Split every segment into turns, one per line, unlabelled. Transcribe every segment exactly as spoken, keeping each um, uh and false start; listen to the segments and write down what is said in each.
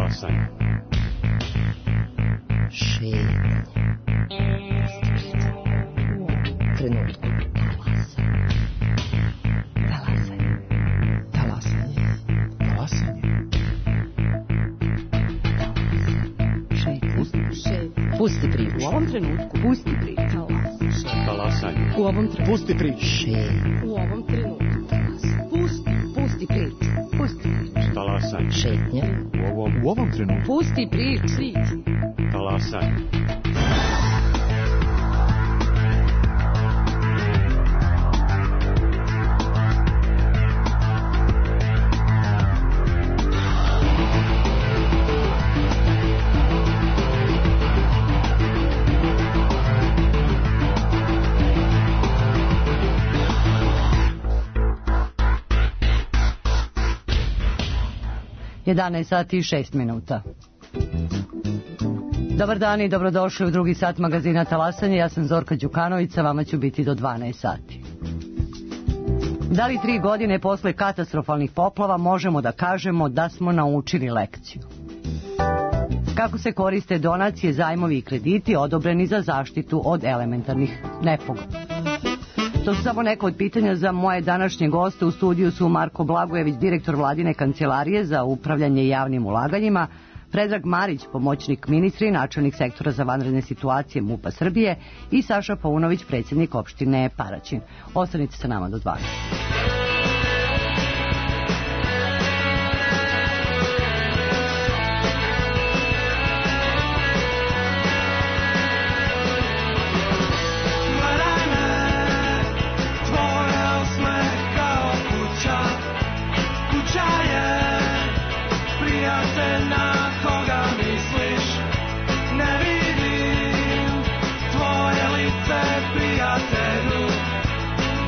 Talasanje.
Šetnje. Trenutku. Talasanje. Talasanje. Talasanje. Šetnje. Pusti priču. U ovom trenutku. Pusti priču.
Talasanje.
U ovom trenutku.
Pusti priču.
Šetnje. U ovom trenutku. Pusti. Pusti priču. Pusti priču.
Talasanje.
Šetnje.
U ovom,
U ovom trenutku.
Pusti priču.
talasanje.
jedanaest sati i šest minuta. Dobar dan i dobrodošli u drugi sat magazina Talasanje. Ja sam Zorka Đukanović, sa vama ću biti do dvanaest sati. Da li tri godine posle katastrofalnih poplava možemo da kažemo da smo naučili lekciju? Kako se koriste donacije, zajmovi i krediti odobreni za zaštitu od elementarnih nepogoda? To su samo neka od pitanja za moje današnje goste. U studiju su Marko Blagojević, direktor vladine kancelarije za upravljanje javnim ulaganjima, Predrag Marić, pomoćnik ministra i načelnik sektora za vanredne situacije MUP-a Srbije i Saša Paunović, predsjednik opštine Paraćin. Ostanite sa nama do dvanaest.
Tvoje lice, prijatelju,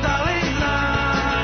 da li znaš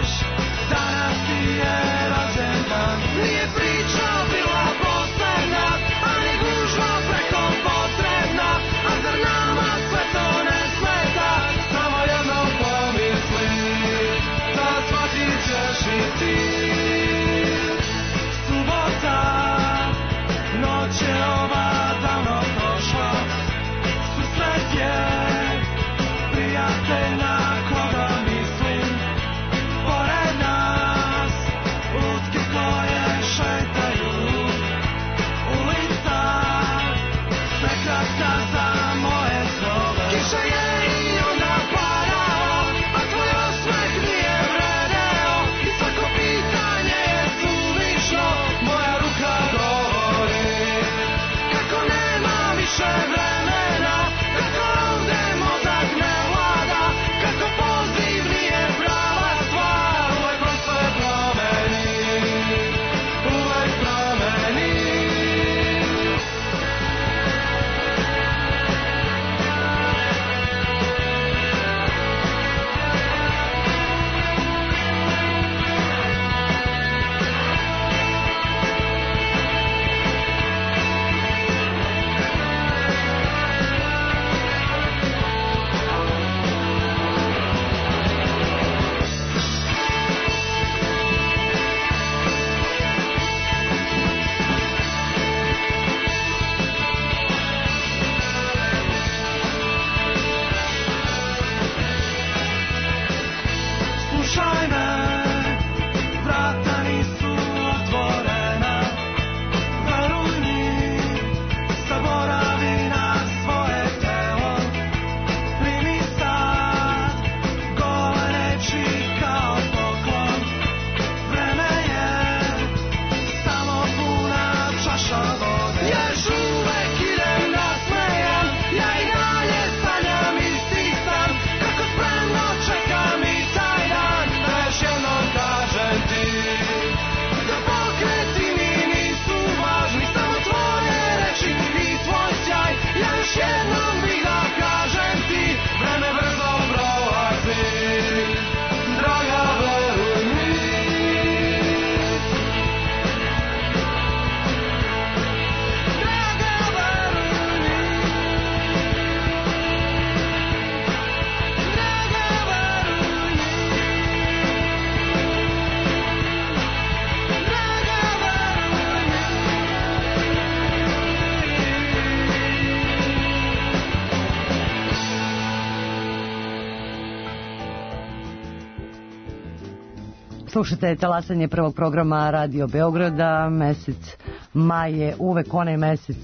Slušate talasanje prvog programa Radio Beograda. Mesec maj je uvek onaj mesec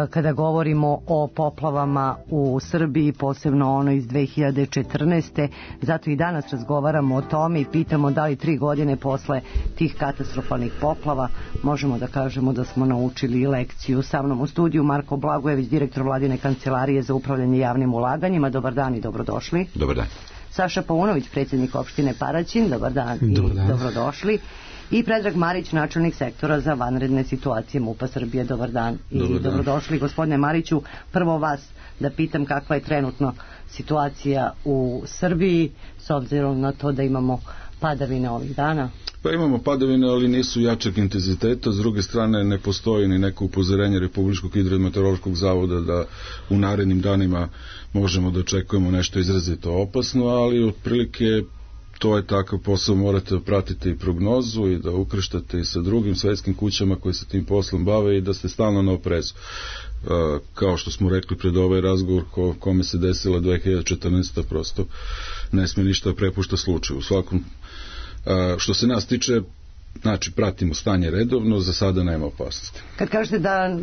kada govorimo o poplavama u Srbiji, posebno ono iz dve hiljade četrnaeste. Zato i danas razgovaramo o tome i pitamo da li tri godine posle tih katastrofalnih poplava možemo da kažemo da smo naučili lekciju. Sa mnom u studiju Marko Blagojević, direktor Vladine kancelarije za upravljanje javnim ulaganjima. Dobar dan i dobrodošli.
Dobar dan.
Saša Paunović, predsjednik opštine Paraćin. Dobar dan i
Dobar dan.
Dobrodošli. I Predrag Marić, načelnik sektora za vanredne situacije MUP-a Srbije. Dobar dan i
Dobar dan.
dobrodošli. Gospodine Mariću, prvo vas da pitam kakva je trenutno situacija u Srbiji s obzirom na to da imamo padavine ovih dana.
Pa imamo padavine, ali nisu jačeg intenziteta. S druge strane, ne postoji ni neko upozorenje Republičkog hidrometeorološkog zavoda da u narednim danima možemo da očekujemo nešto izrazito opasno, ali otprilike to je takav posao, morate pratiti i prognozu i da ukrštate i sa drugim svetskim kućama koji se tim poslom bave i da ste stalno na oprezu. Uh, kao što smo rekli pred ovaj razgovor ko, kome se desila dve hiljade četrnaeste. prosto ne smije ništa prepušta slučaju. U svakom, uh, što se nas tiče, znači pratimo stanje redovno, za sada nema opasnosti.
Kad kažete da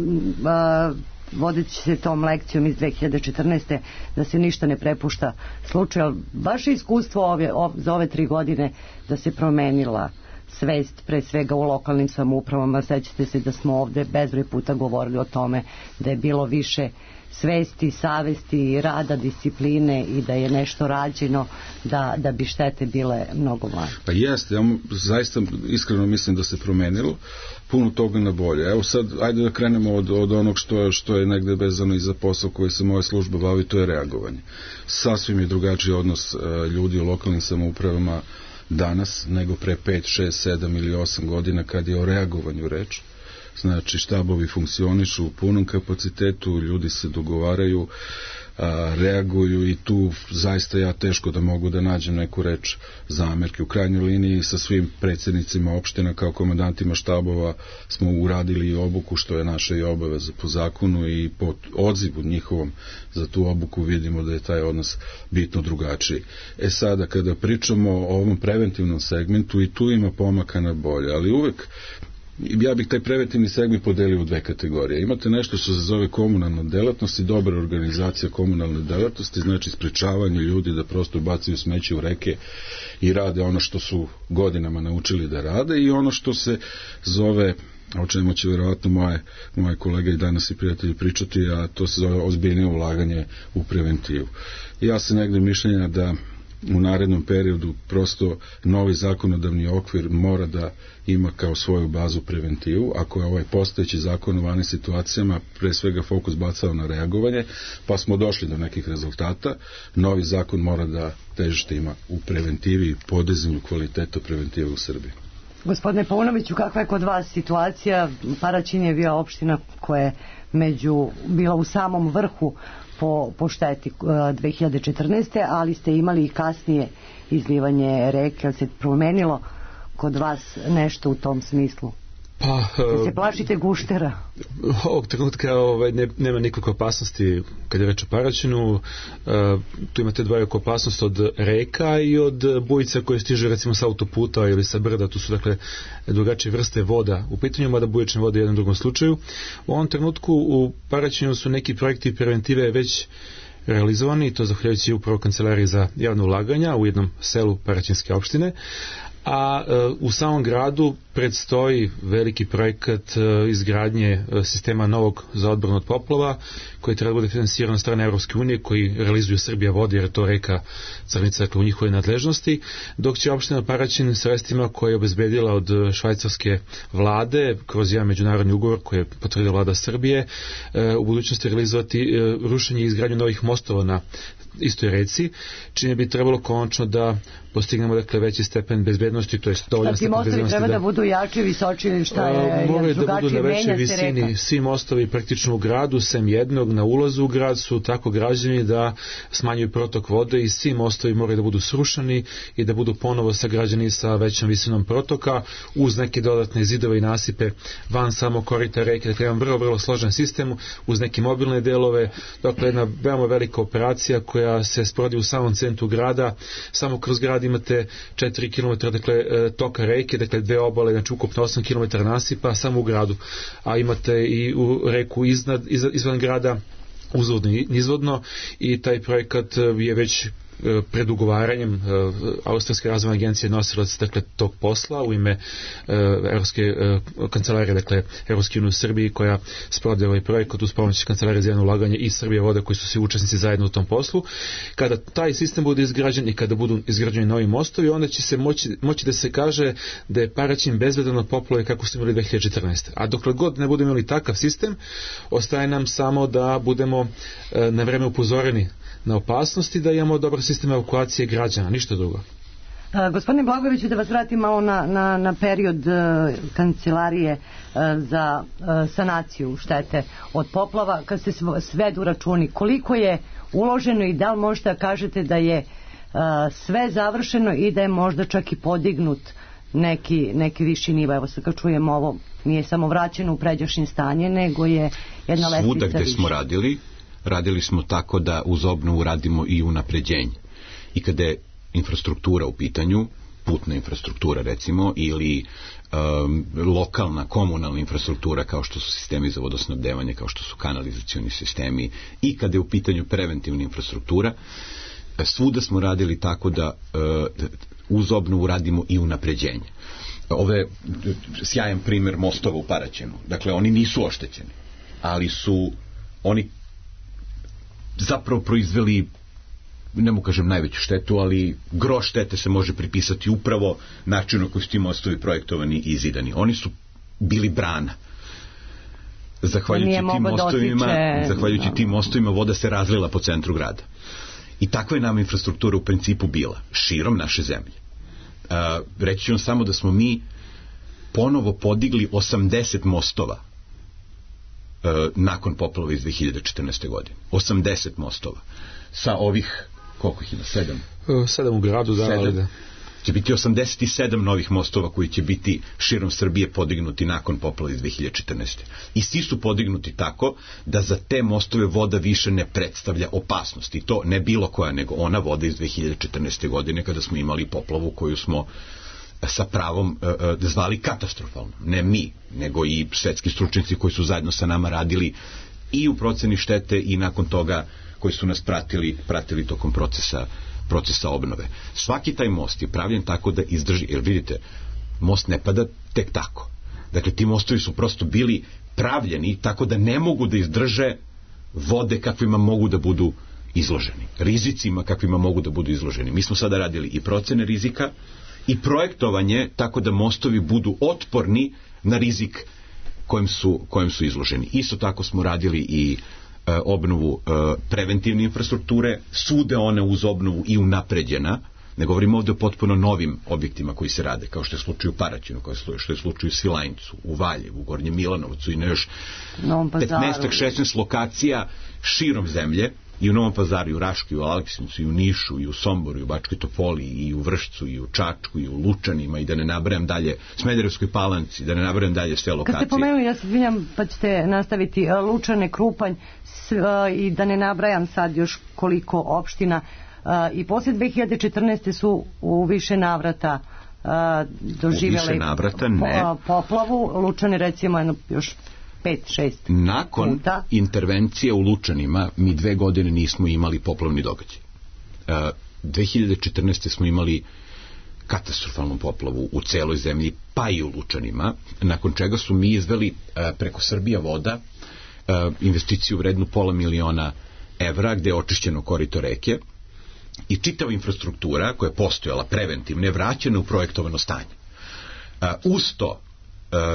uh, vodeći se tom lekcijom iz dve hiljade četrnaeste. da se ništa ne prepušta slučaju, vaše iskustvo ove, ov, za ove tri godine da se promenila svest pre svega u lokalnim samoupravama, sećate se da smo ovde bezbroj puta govorili o tome da je bilo više svesti, savesti, rada, discipline i da je nešto rađeno da, da bi štete bile mnogo manje.
Pa jeste, ja zaista iskreno mislim da se promenilo puno toga na bolje. Evo sad, ajde da krenemo od, od onog što je, što je negde vezano i za posao koji se moja služba bavi, to je reagovanje. Sasvim je drugačiji odnos uh, ljudi u lokalnim samoupravama danas nego pre pet, šest, sedam ili osam godina kad je o reagovanju reč. Znači štabovi funkcionišu u punom kapacitetu, ljudi se dogovaraju, a, reaguju i tu zaista ja teško da mogu da nađem neku reč zamerke. U krajnjoj liniji sa svim predsjednicima opština kao komandantima štabova smo uradili i obuku, što je naša i obaveza po zakonu, i po odzivu njihovom za tu obuku vidimo da je taj odnos bitno drugačiji. E sada kada pričamo o ovom preventivnom segmentu, i tu ima pomaka na bolje, ali uvek ja bih taj preventivni segment podelio u dve kategorije. Imate nešto što se zove komunalna delatnost i dobra organizacija komunalne delatnosti, znači sprečavanje ljudi da prosto bacaju smeće u reke i rade ono što su godinama naučili da rade, i ono što se zove, o čemu će vjerovatno moje, moje kolege i danas i prijatelji pričati, a to se zove ozbiljnije ulaganje u preventivu. Ja sam negde mišljenja da u narednom periodu prosto novi zakonodavni okvir mora da ima kao svoju bazu preventivu. Ako je ovaj postojeći zakon u vanim situacijama pre svega fokus bacao na reagovanje, pa smo došli do nekih rezultata, novi zakon mora da težište ima u preventivi i podizanju kvaliteta preventive u Srbiji.
Gospodine Paunoviću, kakva je kod vas situacija? Paraćin je bio opština koja je među, bila u samom vrhu po, po šteti dve hiljade četrnaeste. ali ste imali i kasnije izlivanje reke. Ali se promenilo kod vas nešto u tom smislu?
Pa,
da se plašite guštera?
Ovog trenutka ovaj, ne, nema nikakve opasnosti kad je reč o Paraćinu. Uh, tu imate dvojak opasnost od reka i od bujica koje stiže recimo sa autoputa ili sa brda. Tu su dakle drugačije vrste voda u pitanju, mada bujične vode u jednom drugom slučaju. U ovom trenutku u Paraćinu su neki projekti preventive već realizovani, i to zahvaljujući upravo kancelariji za javno ulaganja u jednom selu Paraćinske opštine. A e, u samom gradu predstoji veliki projekat e, izgradnje e, sistema novog za odbranu od poplava, koji treba bude finansiran od strane Evropske unije, koji realizuju Srbija vodi, jer je to reka Crnica, dakle u njihovoj nadležnosti, dok će opština Paraćin sredstvima koje je obezbedila od švajcarske vlade kroz jedan međunarodni ugovor koji je potvrdila vlada Srbije, e, u budućnosti realizovati e, rušenje i izgradnju novih mostova na istoj reci, čime bi trebalo konačno da postignemo dakle veći stepen bezbednosti, to je dovoljno stepen bezbednosti.
Treba da, da budu jači, visoči ili šta je,
moraju da budu na većoj
visini.
Reka. Svi mostovi praktično u gradu, sem jednog na ulazu u grad, su tako građeni da smanjuju protok vode, i svi mostovi moraju da budu srušeni i da budu ponovo sagrađeni sa većom visinom protoka, uz neke dodatne zidove i nasipe van samo korita reke. Dakle, imam vrlo, vrlo složen sistem uz neke mobilne delove. Dakle, jedna veoma velika operacija koja se sprovodi u samom centru grada. Samo kroz grad imate četiri kilometra dakle, toka reke, dakle dve obale, znači ukupno osam kilometara nasipa samo u gradu, a imate i u reku iznad, izvan grada uzvodno i nizvodno, i taj projekat je već pred ugovaranjem. Austrijska razvojna agencija nosilac dakle tog posla u ime Evropske kancelarije, dakle Evropske unije u Srbiji, koja sprovodi ovaj projekat uz pomoć Kancelarije za javno ulaganje i Srbije vode, koji su svi učesnici zajedno u tom poslu. Kada taj sistem bude izgrađen i kada budu izgrađeni novi mostovi, onda će se moći, moći da se kaže da je Paraćin bezbedan od poplave kako su imali dve hiljade četrnaeste. A dokle god ne budemo imali takav sistem, ostaje nam samo da budemo na vreme upozoreni na opasnosti, da imamo dobar sistem evakuacije građana, ništa drugo.
A, gospodine Blagojeviću, da vas vratim malo na, na, na period uh, kancelarije uh, za uh, sanaciju štete od poplava, kad se svedu računi, koliko je uloženo i da li možete da kažete da je uh, sve završeno i da je možda čak i podignut neki, neki viši nivo? Evo sad kad čujemo ovo, nije samo vraćeno u pređašnje stanje, nego je jedna lestvica
svuda gde
više.
Smo radili, radili smo tako da uz obnovu radimo i unapređenje. I kada je infrastruktura u pitanju, putna infrastruktura recimo, ili um, lokalna, komunalna infrastruktura, kao što su sistemi za vodosnabdevanje, kao što su kanalizacioni sistemi, i kada je u pitanju preventivna infrastruktura, svuda smo radili tako da uh, uz obnovu radimo i unapređenje. Ovo je sjajan primer mostova u Paraćinu. Dakle, oni nisu oštećeni, ali su oni zapravo proizveli, ne mu kažem najveću štetu, ali gro štete se može pripisati upravo načinu na koji su ti mostovi projektovani i zidani. Oni su bili brana. Zahvaljujući tim mostovima, dotiče... zahvaljujući tim mostovima voda se razlila po centru grada. I takva je nam infrastruktura u principu bila, širom naše zemlje. Uh, reći ću vam samo da smo mi ponovo podigli osamdeset mostova uh, nakon poplava iz dve hiljade četrnaeste. godine. osamdeset mostova. Sa ovih, koliko ih ima? Sedam?
Uh, sedam u gradu, da, ali da.
Će biti osamdeset sedam novih mostova koji će biti širom Srbije podignuti nakon poplava iz dve hiljade četrnaeste. I svi su podignuti tako da za te mostove voda više ne predstavlja opasnost. I to ne bilo koja, nego ona voda iz dve hiljade četrnaeste. godine, kada smo imali poplavu koju smo sa pravom uh, uh, zvali katastrofalno. Ne mi, nego i svetski stručnjaci koji su zajedno sa nama radili i u proceni štete i nakon toga koji su nas pratili, pratili tokom procesa procesa obnove. Svaki taj most je pravljen tako da izdrži, jer vidite, most ne pada tek tako. Dakle, ti mostovi su prosto bili pravljeni tako da ne mogu da izdrže vode kakvima mogu da budu izloženi. Rizicima kakvima mogu da budu izloženi. Mi smo sada radili i procene rizika i projektovanje tako da mostovi budu otporni na rizik kojem su, kojem su izloženi. Isto tako smo radili i obnovu e, preventivne infrastrukture, sude one uz obnovu i unapređena, ne govorimo ovdje o potpuno novim objektima koji se rade, kao što je slučaj u Paraćinu, kao što je slučaj u Svilajncu, u Valjevu, u Gornjem Milanovcu i na još petnaest šesnaest lokacija širom zemlje, i u Novom Pazaru, i u Raškoj, i u Aleksinacu, i u Nišu, i u Somboru, i u Bačkoj Topoli, i u Vršcu, i u Čačku, i u Lučanima, i da ne nabrajam dalje, Smederevskoj Palanci, da ne nabrajam dalje sve lokacije.
Kad ste pomenuli, ja se izvinjam, pa ćete nastaviti, Lučane, Krupanj, i da ne nabrajam sad još koliko opština, i poslije dve hiljade četrnaeste. su u više navrata doživjeli
navrata, ne.
poplavu. Lučane recimo jedno još pet šest
Nakon
puta.
intervencije u Lučanima mi dve godine nismo imali poplavni događaj. Uh, dve hiljade četrnaeste. smo imali katastrofalnu poplavu u celoj zemlji, pa i u Lučanima, nakon čega su mi izveli uh, preko Srbija voda uh, investiciju vrednu pola miliona evra, gde je očišćeno korito reke i čitava infrastruktura koja je postojala preventivno je vraćena u projektovano stanje. Uh, uz to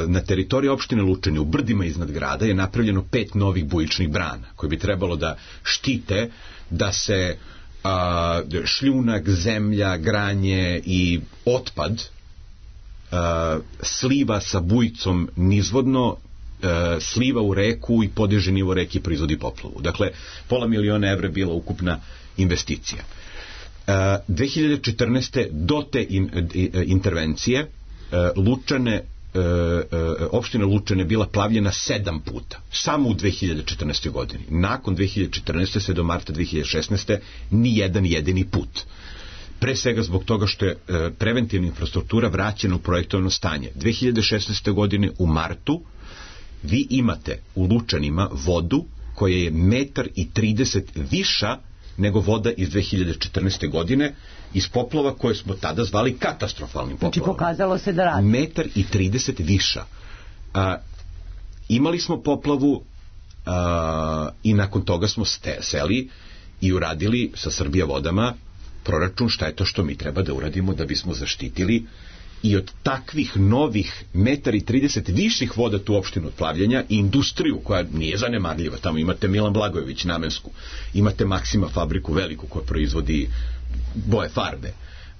na teritoriji opštine Lučani u brdima iznad grada je napravljeno pet novih bujičnih brana koje bi trebalo da štite da se a, šljunak, zemlja, granje i otpad a, sliva sa bujicom nizvodno, a, sliva u reku i podiže nivo reke i proizvodi poplavu. Dakle, pola miliona evra je bila ukupna investicija. A, dve hiljade četrnaeste. do te in, intervencije a, Lučane E, e, opština Lučane bila plavljena sedam puta, samo u dve hiljade četrnaestoj. godini. Nakon dve hiljade četrnaeste. sve do marta dve hiljade šesnaeste. ni jedan jedini put. Pre svega zbog toga što je e, preventivna infrastruktura vraćena u projektovano stanje. dve hiljade šesnaeste. godine u martu vi imate u Lučanima vodu koja je metar i trideset viša nego voda iz dve hiljade četrnaeste. godine iz poplava koje smo tada zvali katastrofalnim poplavama.
Znači pokazalo se da radi.
Metar i trideset viša. A, imali smo poplavu a, i nakon toga smo ste, seli i uradili sa Srbija vodama proračun šta je to što mi treba da uradimo da bismo zaštitili i od takvih novih metar i trideset viših voda tu opštinu od plavljenja i industriju koja nije zanemarljiva. Tamo imate Milan Blagojević namensku, imate Maksima fabriku veliku koja proizvodi boje farbe.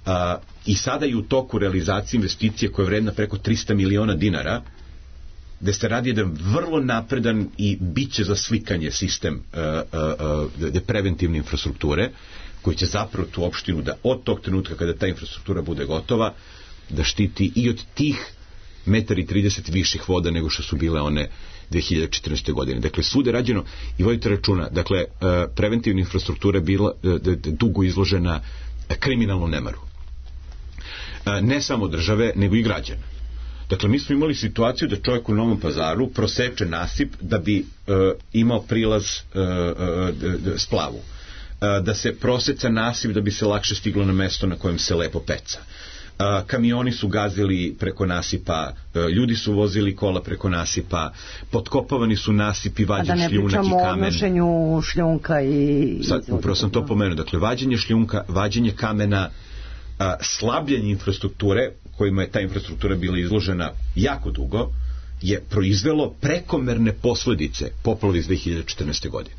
A, I sada je u toku realizacije investicije koja je vredna preko trista miliona dinara, gde se radi jedan vrlo napredan i biće za slikanje sistem uh, uh, uh, preventivne infrastrukture koji će zapravo tu opštinu da od tog trenutka kada ta infrastruktura bude gotova da štiti i od tih metar i trideset viših voda nego što su bile one dve hiljade četrnaeste. godine. Dakle, svude rađeno i vodite računa, dakle, uh, preventivna infrastruktura je bila uh, dugo izložena kriminalnom nemaru. Uh, ne samo države, nego i građana. Dakle, mi smo imali situaciju da čovjek u Novom Pazaru proseče nasip da bi e, imao prilaz e, e, splavu. E, da se proseca nasip da bi se lakše stiglo na mesto na kojem se lepo peca. E, kamioni su gazili preko nasipa, e, ljudi su vozili kola preko nasipa, potkopavani su nasipi, vađen šljunak i kamen. A da ne pričamo o
odnošenju šljunka i...
Sad, upravo sam to pomenuo. Dakle, vađenje šljunka, vađenje kamena, a, slabljanje infrastrukture kojima je ta infrastruktura bila izložena jako dugo, je proizvelo prekomerne posledice poplave iz dve hiljade četrnaeste. godine.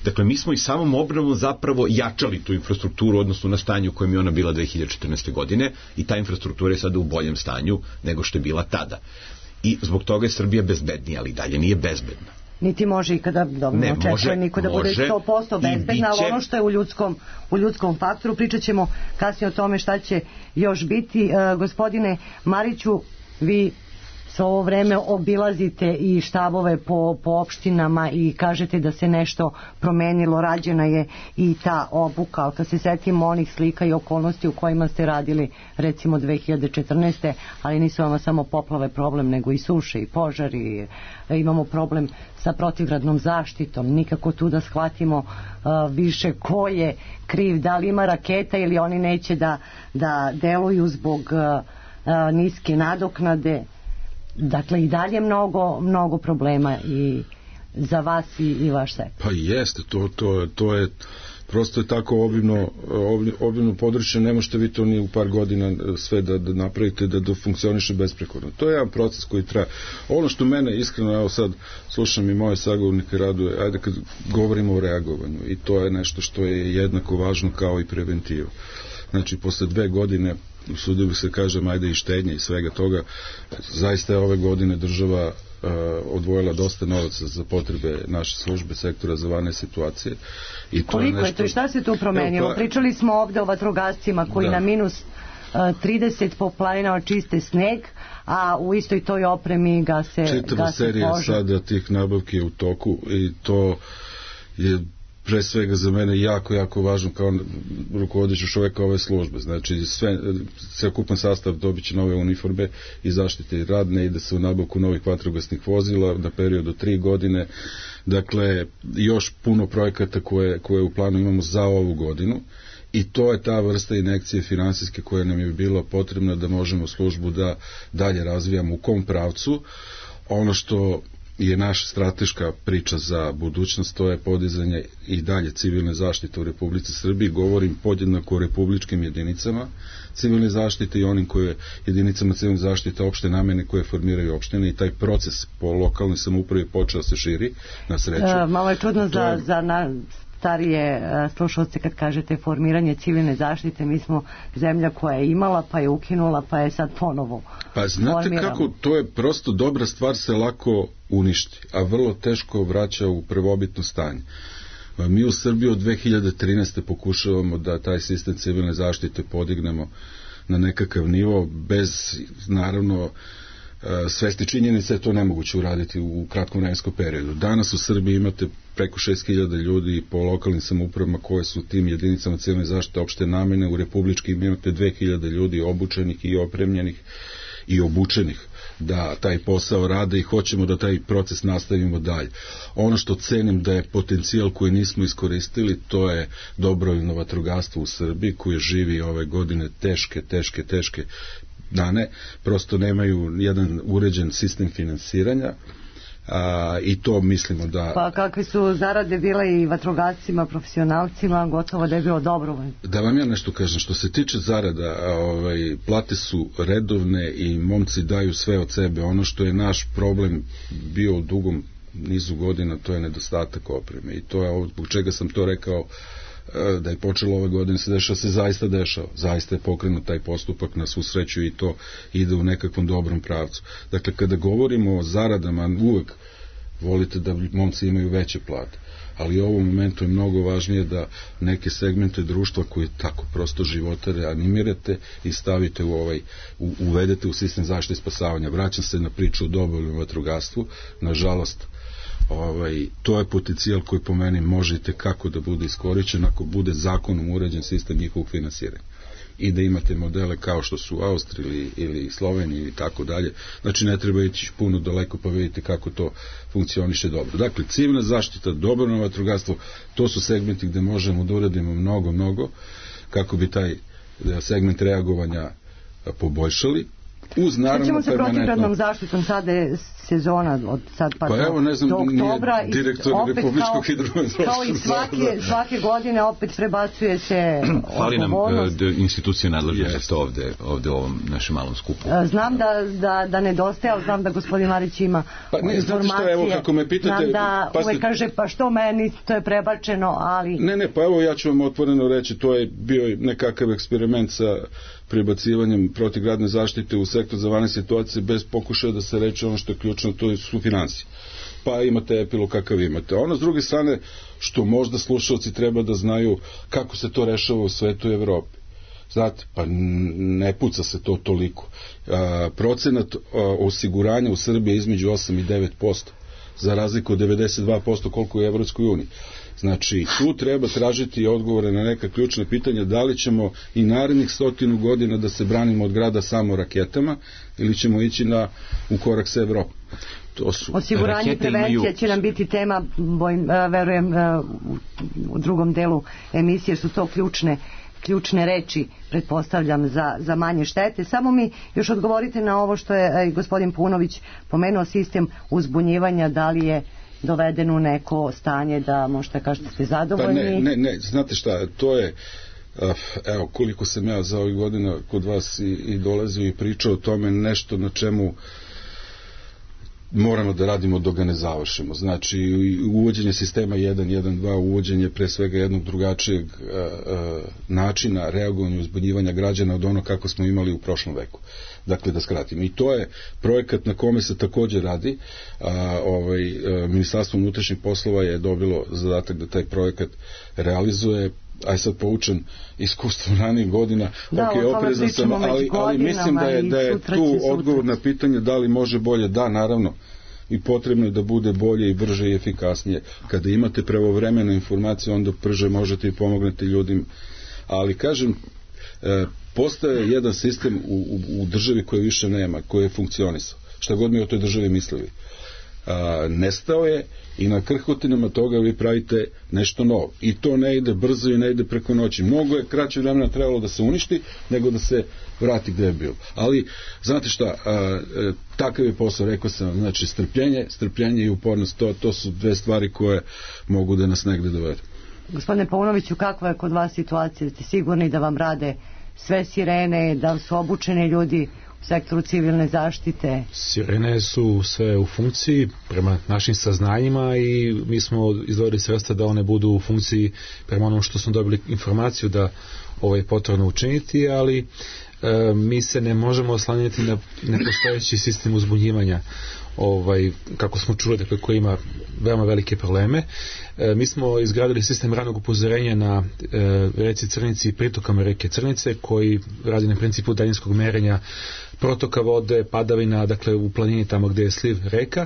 Dakle, mi smo i samom obnovom zapravo jačali tu infrastrukturu, odnosno na stanju u kojem je ona bila dve hiljade četrnaeste. godine i ta infrastruktura je sada u boljem stanju nego što je bila tada. I zbog toga je Srbija bezbednija, ali dalje nije bezbedna.
Niti može ikada, dobro, ne očekuje niko da bude sto posto bezbedna, ali ono što je u ljudskom, u ljudskom faktoru, pričat ćemo kasnije o tome šta će još biti. E, gospodine Mariću, vi svo ovo vreme obilazite i štabove po, po opštinama i kažete da se nešto promenilo, rađena je i ta obuka, ali kad se setimo onih slika i okolnosti u kojima ste radili recimo dve hiljade četrnaeste. ali nisu vam samo poplave problem, nego i suše i požari, imamo problem sa protivgradnom zaštitom, nikako tu da shvatimo uh, više ko je kriv, da li ima raketa ili oni neće da, da deluju zbog uh, uh, niske nadoknade. Dakle, i dalje mnogo, mnogo problema i za vas i, i vaš sektor.
Pa jeste, to, to, to je prosto je tako obimno, obimno područje, ne možete vi to ni u par godina sve da, da napravite, da, da funkcioniše besprekorno. To je jedan proces koji traje. Ono što mene iskreno, evo sad slušam i moje sagovornike raduje, ajde kad govorimo o reagovanju, i to je nešto što je jednako važno kao i preventiva. Znači, posle dve godine usudio bih se kažem, ajde i štednje i svega toga, zaista je ove godine država uh, odvojila dosta novaca za potrebe naše službe sektora za vanredne situacije. I to
koliko je,
nešto...
je to i šta se tu promenilo? Evo, pa... Pričali smo ovde o vatrogascima koji da. na minus uh, trideset po planinama čiste sneg, a u istoj toj opremi gase,
čitava
gase
serija
požar.
Sada tih nabavki je u toku i to je pre svega za mene jako, jako važno kao rukovodeću čoveka ove službe. Znači, sve, celokupan sastav dobit će nove uniforme i zaštite radne, ide se u nabavku novih vatrogasnih vozila na period od tri godine. Dakle, još puno projekata koje, koje u planu imamo za ovu godinu i to je ta vrsta injekcije finansijske koja nam je bila potrebna da možemo službu da dalje razvijamo u kom pravcu. Ono što je naša strateška priča za budućnost, to je podizanje i dalje civilne zaštite u Republici Srbiji. Govorim podjednako o republičkim jedinicama civilne zaštite i onim koje jedinicama civilne zaštite opšte namene koje formiraju opštine i taj proces po lokalnoj samoupravi počeo se širi na sreću. E,
malo je čudno za, je... za na... starije slušalce kad kažete formiranje civilne zaštite, mi smo zemlja koja je imala pa je ukinula pa je sad ponovo
pa znate formiramo. Kako to je prosto dobra stvar se lako uništi, a vrlo teško vraća u prvobitno stanje. Mi u Srbiji od dve hiljade trinaeste pokušavamo da taj sistem civilne zaštite podignemo na nekakav nivo bez naravno svesti činjenice je to nemoguće uraditi u kratkom vremenskom periodu. Danas u Srbiji imate preko šest hiljada ljudi po lokalnim samoupravama koje su tim jedinicama civilne zaštite opšte namene, u republičkim imate dve hiljade ljudi obučenih i opremljenih i obučenih da taj posao rade i hoćemo da taj proces nastavimo dalje. Ono što cenim da je potencijal koji nismo iskoristili, to je dobrovoljno vatrogastvo u Srbiji koje živi ove godine teške, teške, teške dane, prosto nemaju jedan uređen sistem finansiranja. A, i to mislimo da...
Pa kakve su zarade bile i vatrogascima, profesionalcima, gotovo da je bilo dobrovoljno.
Da vam ja nešto kažem, što se tiče zarada, ovaj, plate su redovne i momci daju sve od sebe. Ono što je naš problem bio u dugom nizu godina, to je nedostatak opreme i to je ovo, zbog čega sam to rekao, da je počelo ove godine se dešava, se zaista dešava. Zaista je pokrenut taj postupak, na svu sreću i to ide u nekakvom dobrom pravcu. Dakle, kada govorimo o zaradama, uvek volite da momci imaju veće plate, ali u ovom momentu je mnogo važnije da neke segmente društva koje tako prosto životare animirate i stavite u ovaj, u, uvedete u sistem zaštite i spasavanja. Vraćam se na priču o dobrovoljnom vatrogastvu. Nažalost, Ovaj, to je potencijal koji po meni možete kako da bude iskorišćen ako bude zakonom uređen sistem njihovog finansiranja i da imate modele kao što su u Austriji ili, ili Sloveniji i tako dalje. Znači ne treba ići puno daleko pa vidite kako to funkcioniše dobro. Dakle, civilna zaštita, dobrovoljno vatrogastvo, to su segmenti gde možemo da uradimo mnogo, mnogo kako bi taj segment reagovanja poboljšali. Uz naravno
ćemo se protivgradnom zaštitom, sada je sezona od sad pa,
pa
do,
evo, ne znam,
do oktobra
nije direktor Republičkog hidrometeorološkog
kao i svake, svake godine opet prebacuje se
fali nam uh, institucije nadležne
yes.
za to ovde, ovde u ovom našem malom skupu.
Znam da, da, da nedostaje, ali znam da gospodin Marić ima
pa, ne,
informacije.
Šta, evo, kako me pitate,
znam da
pa ste...
uvek kaže pa što meni to je prebačeno, ali...
Ne, ne, pa evo ja ću vam otvoreno reći, to je bio nekakav eksperiment sa prebacivanjem protivgradne zaštite u sektor za vanredne situacije bez pokušaja da se reče ono što je ključno, to su financije. Pa imate epilog kakav imate. Ono s druge strane, što možda slušalci treba da znaju kako se to rešava u svetu i Evropi. Znate, pa ne puca se to toliko. A, procenat a, osiguranja u Srbiji je između osam i devet posto, za razliku od devedeset dva posto koliko je u Evropskoj uniji. Znači, tu treba tražiti odgovore na neka ključna pitanja, da li ćemo i narednih stotinu godina da se branimo od grada samo raketama ili ćemo ići na, u korak sa Evropom. To su...
Osiguranje i prevencija imaju... će nam biti tema, bojim, verujem, u drugom delu emisije su to ključne ključne reči, pretpostavljam, za, za manje štete. Samo mi još odgovorite na ovo što je gospodin Punović pomenuo, sistem uzbunjivanja, da li je doveden u neko stanje da možete kažete ste zadovoljni?
Pa ne, ne, ne, znate šta, to je, evo, koliko sam ja za ovih godina kod vas i, i dolazio i pričao o tome, nešto na čemu moramo da radimo dok ga ne završimo. Znači, uvođenje sistema jedan jedan dva, uvođenje pre svega jednog drugačijeg a, a, načina reagovanja i uzbunjivanja građana od ono kako smo imali u prošlom veku. Dakle, da skratimo. I to je projekat na kome se također radi. A, ovaj, a, Ministarstvo unutrašnjih poslova je dobilo zadatak da taj projekat realizuje, aj sad poučen iskustvom ranijih godina,
da,
ok, oprezan sam, ali, ali mislim da je, da je tu odgovor na pitanje da li može bolje. Da, naravno, i potrebno je da bude bolje i brže i efikasnije. Kada imate pravovremenu informaciju, onda brže možete i pomognete ljudima. Ali, kažem, e, postaje jedan sistem u, u, u državi koje više nema, koji je funkcionisao. Šta god mi o toj državi mislili. A, nestao je i na krhotinama toga vi pravite nešto novo. I to ne ide brzo i ne ide preko noći. Mnogo je kraće vremena trebalo da se uništi nego da se vrati gde je bilo. Ali, znate šta, a, a, takav je posao, rekao sam, znači strpljenje, strpljenje i upornost, to, to su dve stvari koje mogu da nas negde dovedu.
Gospodine Paunoviću, kakva je kod vas situacija? Ste sigurni da vam rade sve sirene, da su obučeni ljudi u sektoru civilne zaštite?
Sirene su sve u funkciji prema našim saznanjima i mi smo izdvojili sredstva da one budu u funkciji prema onom što smo dobili informaciju da ovo je potrebno učiniti, ali e, mi se ne možemo oslanjati na nepostojeći sistem uzbunjivanja, ovaj, kako smo čuli, dakle, koji ima veoma velike probleme. E, mi smo izgradili sistem ranog upozorenja na e, reci Crnici i pritokama reke Crnice, koji radi na principu daljinskog merenja protoka vode, padavina, dakle u planini tamo gde je sliv reka,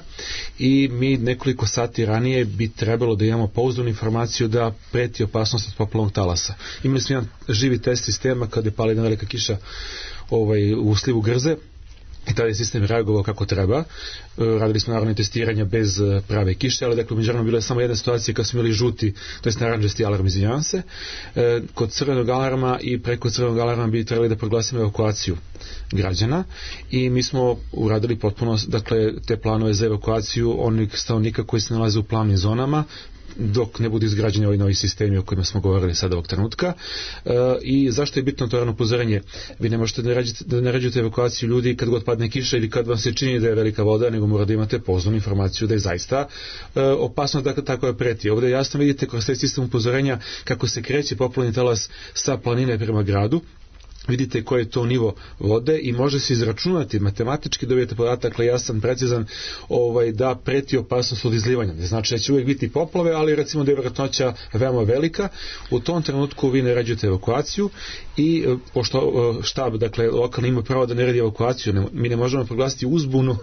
i mi nekoliko sati ranije bi trebalo da imamo pouzdanu informaciju da preti opasnost od poplavnog talasa. Imali smo jedan živi test sistema kada je pala jedna velika kiša ovaj, u slivu Grze, i tada je sistem reagovao kako treba. Radili smo naravno testiranja bez prave kiše, ali dakle međutim bila je samo jedna situacija kad smo imali žuti, to jest naranđasti alarm, izvinjavam se. E, kod crvenog alarma i preko crvenog alarma bi trebali da proglasimo evakuaciju građana, i mi smo uradili potpuno, dakle, te planove za evakuaciju onih stanovnika koji se nalaze u plavnim zonama, dok ne budu izgrađeni ovi novi sistemi o kojima smo govorili sada ovog trenutka. E, i zašto je bitno to rano upozorenje? Vi ne možete da naređujete, da naređujete evakuaciju ljudi kad god padne kiša ili kad vam se čini da je velika voda, nego morate da imate pouzdanu informaciju da je zaista e, opasno da tako je preti. Ovdje jasno vidite kroz taj sistem upozorenja kako se kreće poplavni talas sa planine prema gradu. Vidite koji je to nivo vode i može se izračunati, matematički dobijete podatak, dakle jasan, precizan, ovaj, da preti opasnost od izlivanja. Ne znači da će uvijek biti poplave, ali recimo da je vjerojatnoća veoma velika. U tom trenutku vi naređujete evakuaciju i pošto štab, dakle lokalni, ima pravo da naredi evakuaciju. Ne, mi ne možemo proglasiti uzbunu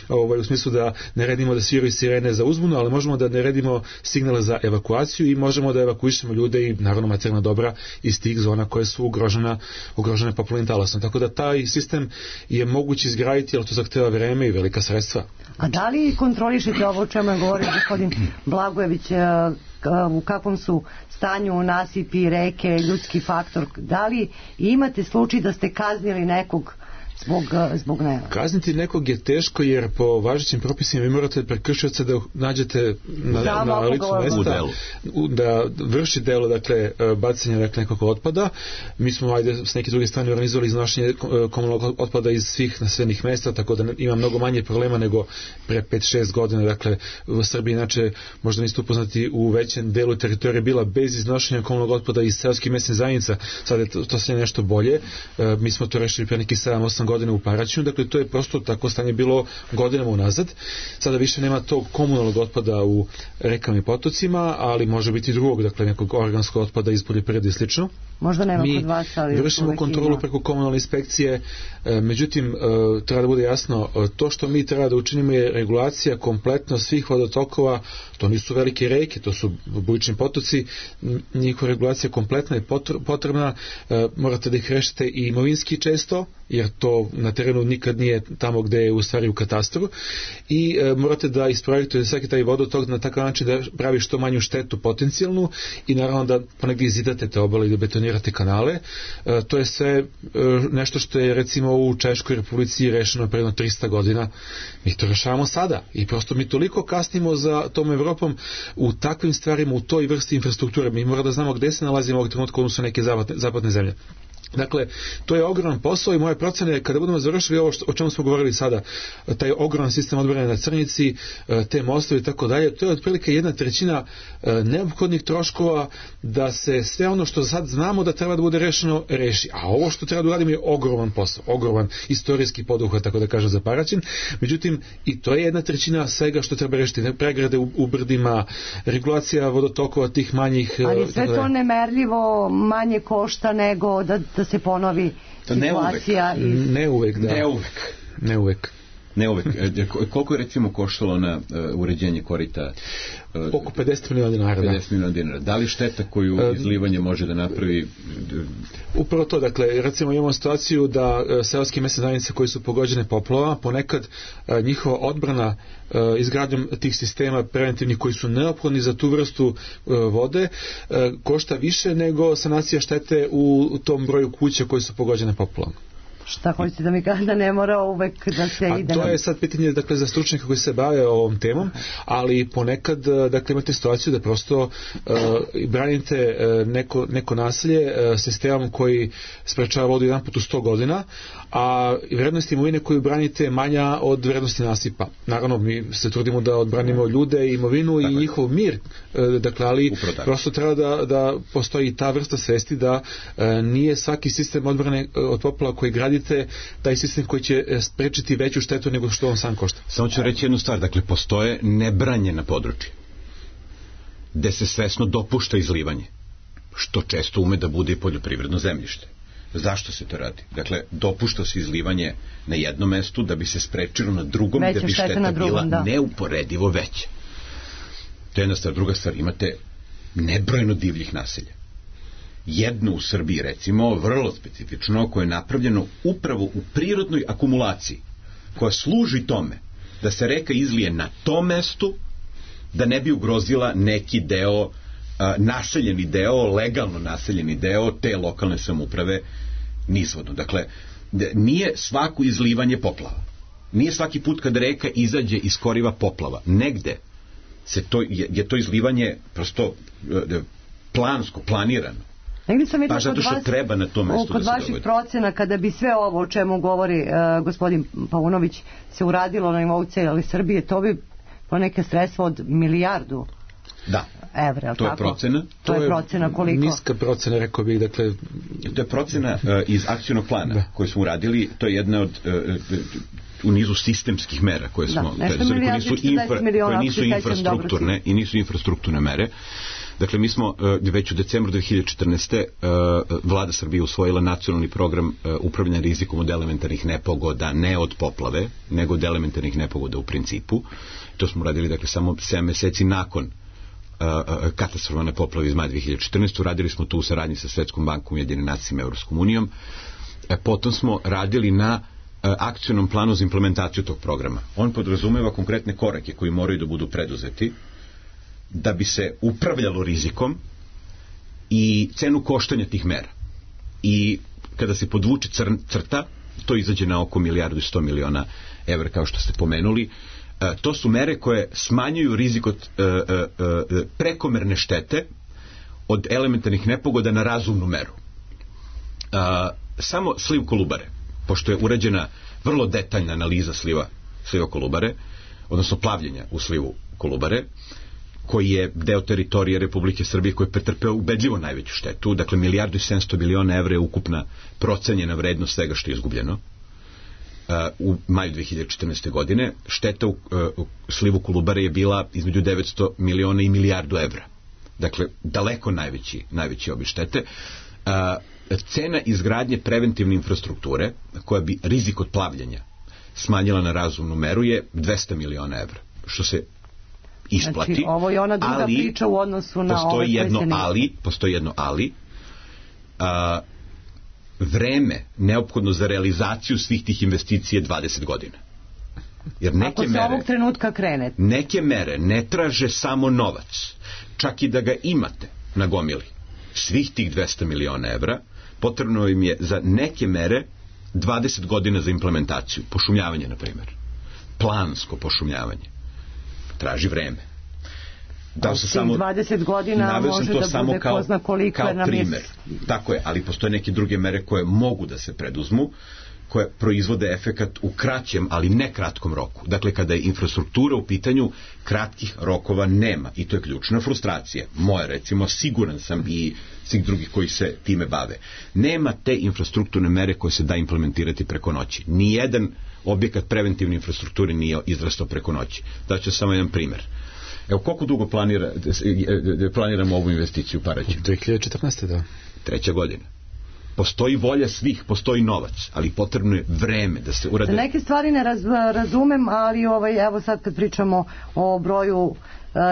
ovaj, u smislu da naredimo da sviraju sirene za uzbunu, ali možemo da naredimo signale za evakuaciju i možemo da evakuišemo ljude i naravno materijalna dobra iz tih zona koje su ugrožena ugrožene poplavnim talasom. Tako da taj sistem je moguće izgraditi, ali to zahteva vreme i velika sredstva.
A da li kontrolišete ovo o čemu je govorio gospodin Blagojević, u kakvom su stanju nasipi, reke, ljudski faktor? Da li imate slučaj da ste kaznili nekog zbog, zbog nema?
Kazniti nekog je teško, jer po važećim propisima vi morate prekršioca da nađete na, na, na licu mesta da vrši delo, dakle, bacanja, dakle, nekog otpada. Mi smo, ajde, s neke druge strane organizovali iznošenje komunalnog otpada iz svih naseljenih mesta, tako da ima mnogo manje problema nego pre pet šest godina. Dakle, u Srbiji, inače, možda niste upoznati, u većem delu teritorije bila bez iznošenja komunalnog otpada iz seoskih mesnih zajednica. Sad je to, to sve nešto bolje. E, mi smo to rešili pre neki sedam osam godine u Paraćinu, dakle to je prosto tako stanje bilo godinama unazad. Sada više nema tog komunalnog otpada u rekama i potocima, ali može biti drugog, dakle nekog organskog otpada iz poljoprivrede i slično.
Možda nema
Mi
kod vas, ali
vršimo kontrolu ima. Preko komunalne inspekcije, e, međutim e, treba da bude jasno, e, to što mi treba da učinimo je regulacija kompletno svih vodotokova. To nisu velike reke, to su bujični potoci, njihova regulacija kompletna je potrebna, e, morate da ih rešite i imovinski često, jer to na terenu nikad nije tamo gde je u stvari u katastru, i e, morate da isprojektujete svaki taj vodotok na takav način da pravi što manju štetu potencijalnu, i naravno da ponegdje izidate te obale i da betonirate kanale. E, to je sve e, nešto što je recimo u Češkoj Republici rešeno pre trista godina. Mi to rešavamo sada i prosto mi toliko kasnimo za tom Evropom u takvim stvarima, u toj vrsti infrastrukture. Mi moramo da znamo gde se nalazimo ovog trenutka, odnosno neke zapadne, zapadne zemlje. Dakle, to je ogroman posao i moje procene, kada budemo završili ovo što, o čemu smo govorili sada, taj ogroman sistem odbrane na Crnici, te mostovi i tako dalje, to je otprilike jedna trećina neophodnih troškova da se sve ono što sad znamo da treba da bude rešeno, reši. A ovo što treba da uradimo je ogroman posao, ogroman istorijski poduhvat, tako da kažem, za Paraćin. Međutim, i to je jedna trećina svega što treba rešiti. Pregrade u, u brdima, regulacija vodotokova tih manjih.
Ali sve to nemerljivo manje košta nego da da se ponovi
to
situacija.
Ne uvek,
iz...
ne uvek, da.
Ne uvek.
Ne uvek.
Ne uvek. Koliko je recimo koštalo na uh, uređenje korita? Uh,
Oko pedeset miliona dinara.
pedeset miliona dinara. Da li šteta koju izlivanje može da napravi?
Upravo to, dakle, recimo imamo situaciju da uh, seoske mesne zajednice koji su pogođene poplavama, ponekad uh, njihova odbrana uh, izgradnjom tih sistema preventivnih koji su neophodni za tu vrstu uh, vode uh, košta više nego sanacija štete u tom broju kuća koji su pogođene poplavama.
Šta hoćete da mi kaže da ne mora uvek da se
A
ide?
to
na...
je sad pitanje, dakle, za stručnjaka koji se bave ovom temom, ali ponekad, dakle, imate situaciju da prosto uh, branite uh, neko, neko naselje uh, sistemom koji sprečava vodu jedan put u sto godina, a vrednost imovine koju branite je manja od vrednosti nasipa. Naravno, mi se trudimo da odbranimo ljude, imovinu i njihov mir, uh, dakle, ali prosto treba da, da postoji ta vrsta svesti da uh, nije svaki sistem odbrane uh, od poplava koji gradite taj sistem koji će sprečiti veću štetu nego što on sam košta.
Samo ću reći jednu stvar, dakle, postoje nebranjena područja gde se svesno dopušta izlivanje, što često ume da bude i poljoprivredno zemljište. Zašto se to radi? Dakle, dopušta se izlivanje na jednom mestu da bi se sprečilo na drugom,
veća
da bi šteta
drugom,
bila
da.
neuporedivo veća. To je jedna stvar. Druga stvar, imate nebrojno divljih naselja. Jedno u Srbiji, recimo, vrlo specifično, koje je napravljeno upravo u prirodnoj akumulaciji, koja služi tome da se reka izlije na tom mestu, da ne bi ugrozila neki deo, a, naseljeni deo, legalno naseljeni deo te lokalne samouprave nizvodno. Dakle, nije svako izlivanje poplava. Nije svaki put kad reka izađe iz koriva poplava. Negde se to, je, je to izlivanje prosto e, plansko, planirano.
Negdje sam vidjela
pa zato što
vas,
treba na tom mestu
kod
da se
vaših
dovodi.
procena, kada bi sve ovo o čemu govori uh, gospodin Paunović se uradilo na nivou cijele Srbije, to bi po neke sredstva od milijardu
da.
evra.
To je
tako?
procena.
To, to je procena koliko?
Niska procena, rekao bih, dakle...
To je procena uh, iz akcionog plana da. Koju smo uradili, to je jedna od uh, u nizu sistemskih mera koje smo...
Da, nešto
koje nisu, infra,
miliona,
koje nisu infrastrukturne i nisu infrastrukturne mere. Dakle, mi smo uh, već u decembru dve hiljade četrnaeste. Uh, Vlada Srbije usvojila nacionalni program uh, upravljanja rizikom od elementarnih nepogoda, ne od poplave, nego od elementarnih nepogoda u principu. To smo radili, dakle, samo sedam meseci nakon uh, katastrofalne poplave iz maja dve hiljade četrnaeste. Radili smo tu u saradnji sa Svetskom bankom, Ujedinjenim nacijama i Evropskom unijom. E, potom smo radili na uh, akcionom planu za implementaciju tog programa. On podrazumeva konkretne korake koji moraju da budu preduzeti da bi se upravljalo rizikom i cenu koštanja tih mera. I kada se podvuče crta, to izađe na oko milijardu i sto miliona evra, kao što ste pomenuli. E, to su mere koje smanjuju rizik od e, e, e, prekomerne štete od elementarnih nepogoda na razumnu meru. E, samo sliv Kolubare, pošto je urađena vrlo detaljna analiza sliva, sliva Kolubare, odnosno plavljenja u slivu Kolubare, koji je deo teritorije Republike Srbije koji je pretrpeo ubedljivo najveću štetu, dakle milijardu i sedamsto miliona evra je ukupna procenjena vrednost svega što je izgubljeno uh, u maju dve hiljade četrnaeste. godine. Šteta u, uh, u slivu Kolubare je bila između devetsto miliona i milijardu evra. Dakle, daleko najveći, najveći obim štete. Uh, cena izgradnje preventivne infrastrukture, koja bi rizik od plavljenja smanjila na razumnu meru, je dvesta miliona evra, što se isplati.
Znači, ovo je ona druga
ali,
priča u odnosu na
postoji
ove
jedno
ne...
ali, postoji jedno ali, a, vreme neophodno za realizaciju svih tih investicija je dvadeset godina. Jer neke
Ako se
mere,
ovog trenutka krene.
Neke mere ne traže samo novac. Čak i da ga imate na gomili svih tih dvesta miliona evra, potrebno im je za neke mere dvadeset godina za implementaciju. Pošumljavanje, na primjer. Plansko pošumljavanje. Traži vreme. Da se samo
dvadeset godina može
to
da
samo
bude
kao,
ko zna koliko
kao
nam je...
primer. Tako je, ali postoje neke druge mere koje mogu da se preduzmu, koje proizvode efekat u kraćem, ali ne kratkom roku. Dakle, kada je infrastruktura u pitanju, kratkih rokova nema. I to je ključna frustracija. Moja, recimo, siguran sam i svih drugih koji se time bave. Nema te infrastrukturne mere koje se da implementirati preko noći. Nijedan objekat preventivne infrastrukture nije izrastao preko noći. Daću samo jedan primer. Evo, koliko dugo planira, planiramo ovu investiciju u Paraćinu?
dve hiljade četrnaeste. da.
Treća godina. Postoji volja svih, postoji novac, ali potrebno je vreme da se urade.
Neke stvari ne raz, razumem, ali ovaj, evo sad kad pričamo o broju uh,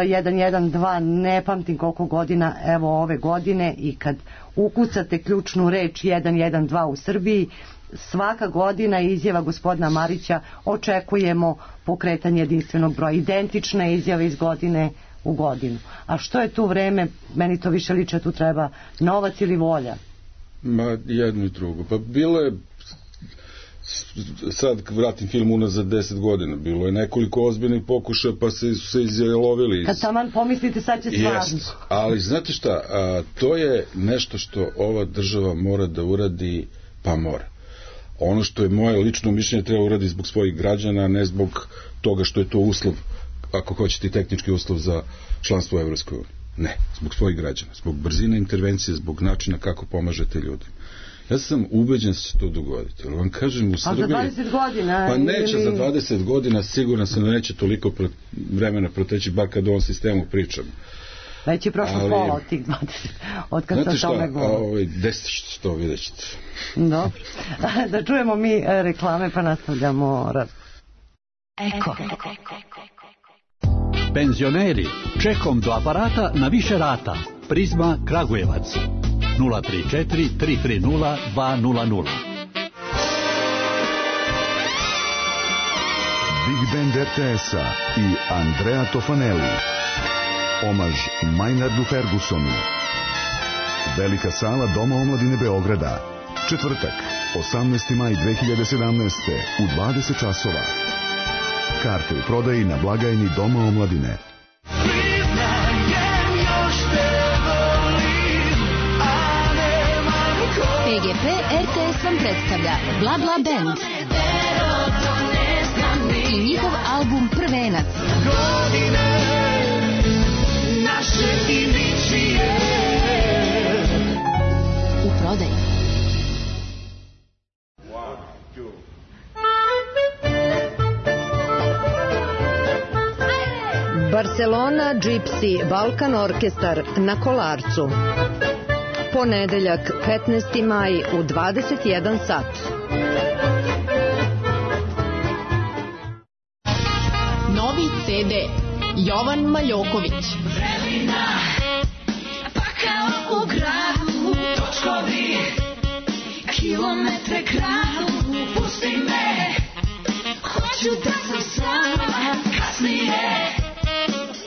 jedan jedan dva, ne pamtim koliko godina, evo ove godine, i kad ukucate ključnu reč jedan jedan dva u Srbiji, svaka godina izjava gospodina Marića, očekujemo pokretanje jedinstvenog broja. Identične izjave iz godine u godinu. A što je tu vreme? Meni to više liče, tu treba novac ili volja.
Ma jedno i drugo. Pa bilo je sad vratim film unazad deset godina, bilo je nekoliko ozbiljnih pokušaja pa se, su se izjelovili.
Kad taman pomislite sad će stvarno.
Jest, ali znate šta, a, to je nešto što ova država mora da uradi, pa mora. Ono što je moje lično mišljenje treba uradi zbog svojih građana, a ne zbog toga što je to uslov, ako hoćete tehnički uslov za članstvo u Evropskoj uniji. Ne, zbog svojih građana, zbog brzine intervencije, zbog načina kako pomažete ljudima. Ja sam ubeđen da će se to dogoditi. Ali vam kažem, u Srbiji...
A za dvadeset godina?
Pa neće
ili...
za dvadeset godina, siguran sam da neće toliko pre, vremena proteći, bar kad o ovom sistemu pričam.
Već je prošlo ali, pola od tih dvadeset, od kad se o tome govori.
Znate šta, ovaj, deset što vidjet ćete.
Dobro. Da čujemo mi reklame pa nastavljamo razgovor.
Eko. Penzioneri, čekom do aparata na više rata. Prizma Kragujevac. nula tri četiri tri tri nula dva nula nula.
Big Band er te es-a i Andrea Tofanelli. Omaž Maynardu Fergusonu. Velika sala Doma omladine Beograda. Četvrtak, osamnaesti maj dve hiljade sedamnaeste u dvadeset časova. Karte u prodaji na blagajni Doma omladine.
P G P er te es vam predstavlja Bla Bla Band i njihov album Prvenac. U prodaji.
Barcelona Gypsy Balkan Orkestar na Kolarcu. Ponedeljak, petnaesti maj u dvadeset jedan sat.
Novi ce de Jovan Maljoković.
Vremena, pa kao u gradu, točkovi, kilometre kradu, pusti me, hoću da sam sama, kasnije,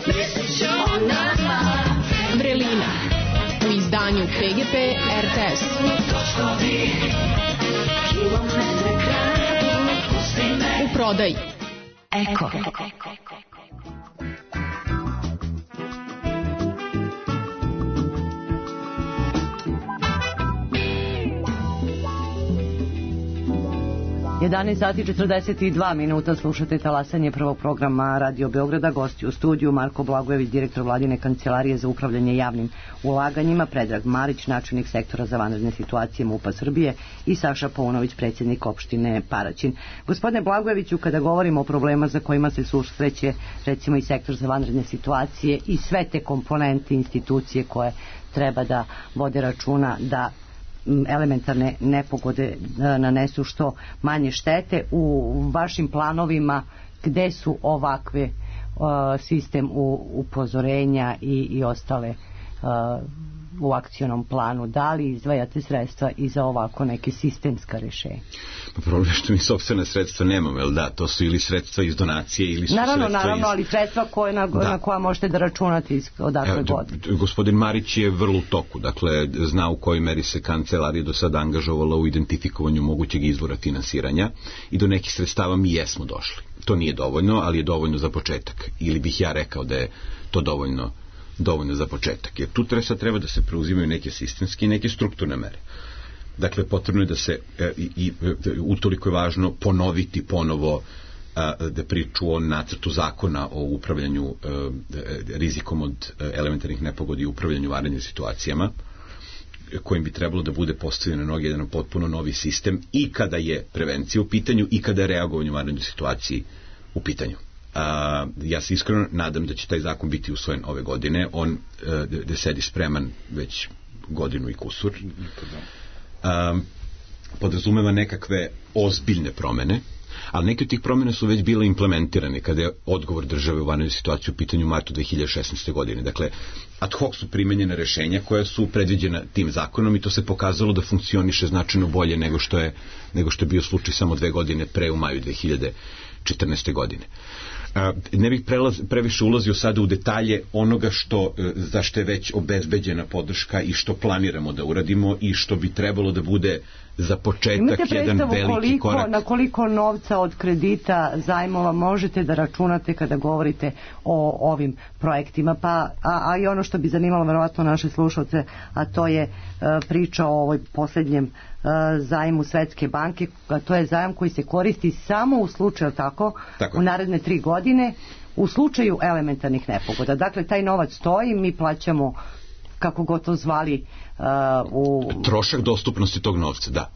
mislit ću o nama.
Vrelina, u izdanju P G P er te es.
Točkovi, kilometre kradu, pusti me.
U prodaji.
Eko.
jedanaest sati četrdeset dva minuta, slušate talasanje prvog programa Radio Beograda. Gosti u studiju Marko Blagojević, direktor Vladine kancelarije za upravljanje javnim ulaganjima, Predrag Marić, načelnik sektora za vanredne situacije MUP-a Srbije i Saša Paunović, predsjednik opštine Paraćin. Gospodine Blagojeviću, kada govorimo o problema za kojima se susreće recimo i sektor za vanredne situacije i sve te komponente institucije koje treba da vode računa da elementarne nepogode nanesu što manje štete, u vašim planovima gde su ovakve uh, sistem u, upozorenja i, i ostale uh, u akcionom planu, da li izdvajate sredstva i za ovako neke sistemska rešenja?
Pa problem je što mi sopstvena sredstva nemamo, jel da? To su ili sredstva iz donacije ili su
naravno,
sredstva
naravno,
iz...
ali sredstva koje na, da. na koja možete da računate iz odakle god.
Gospodin Marić je vrlo u toku, dakle zna u kojoj meri se kancelarija do sada angažovala u identifikovanju mogućeg izvora finansiranja i do nekih sredstava mi jesmo došli. To nije dovoljno, ali je dovoljno za početak. Ili bih ja rekao da je to dovoljno dovoljno za početak. Jer tu sad treba da se preuzimaju neke sistemske i neke strukturne mere. Dakle, potrebno je da se e, i utoliko je važno ponoviti ponovo a, da priču o nacrtu zakona o upravljanju a, rizikom od elementarnih nepogodi i upravljanju vanrednim situacijama, kojim bi trebalo da bude postavljen na noge jedan potpuno novi sistem i kada je prevencija u pitanju i kada je reagovanje u vanrednoj situaciji u pitanju. A, ja se iskreno nadam da će taj zakon biti usvojen ove godine. On a, da sedi spreman već godinu i kusur. A, podrazumeva nekakve ozbiljne promene, ali neke od tih promjena su već bile implementirane kada je odgovor države u vanrednoj situaciji u pitanju u martu dve hiljade šesnaeste. godine. Dakle, ad hoc su primenjene rešenja koja su predviđena tim zakonom i to se pokazalo da funkcioniše značajno bolje nego što je, nego što je bio slučaj samo dve godine pre u maju dve hiljade četrnaeste. godine. Ne bih prelaz, previše ulazio sada u detalje onoga što, za što je već obezbeđena podrška i što planiramo da uradimo i što bi trebalo da bude za početak
Imate
jedan
predstavu
veliki
koliko,
korak.
na koliko novca od kredita zajmova možete da računate kada govorite o ovim projektima, pa a, a i ono što bi zanimalo verovatno naše slušalce, a to je e, priča o ovoj posljednjem e, zajmu Svetske banke, a to je zajam koji se koristi samo u slučaju tako,
tako
u naredne tri godine u slučaju elementarnih nepogoda. Dakle, taj novac stoji, mi plaćamo, kako god to zvali, uh, u...
trošak dostupnosti tog novca, da.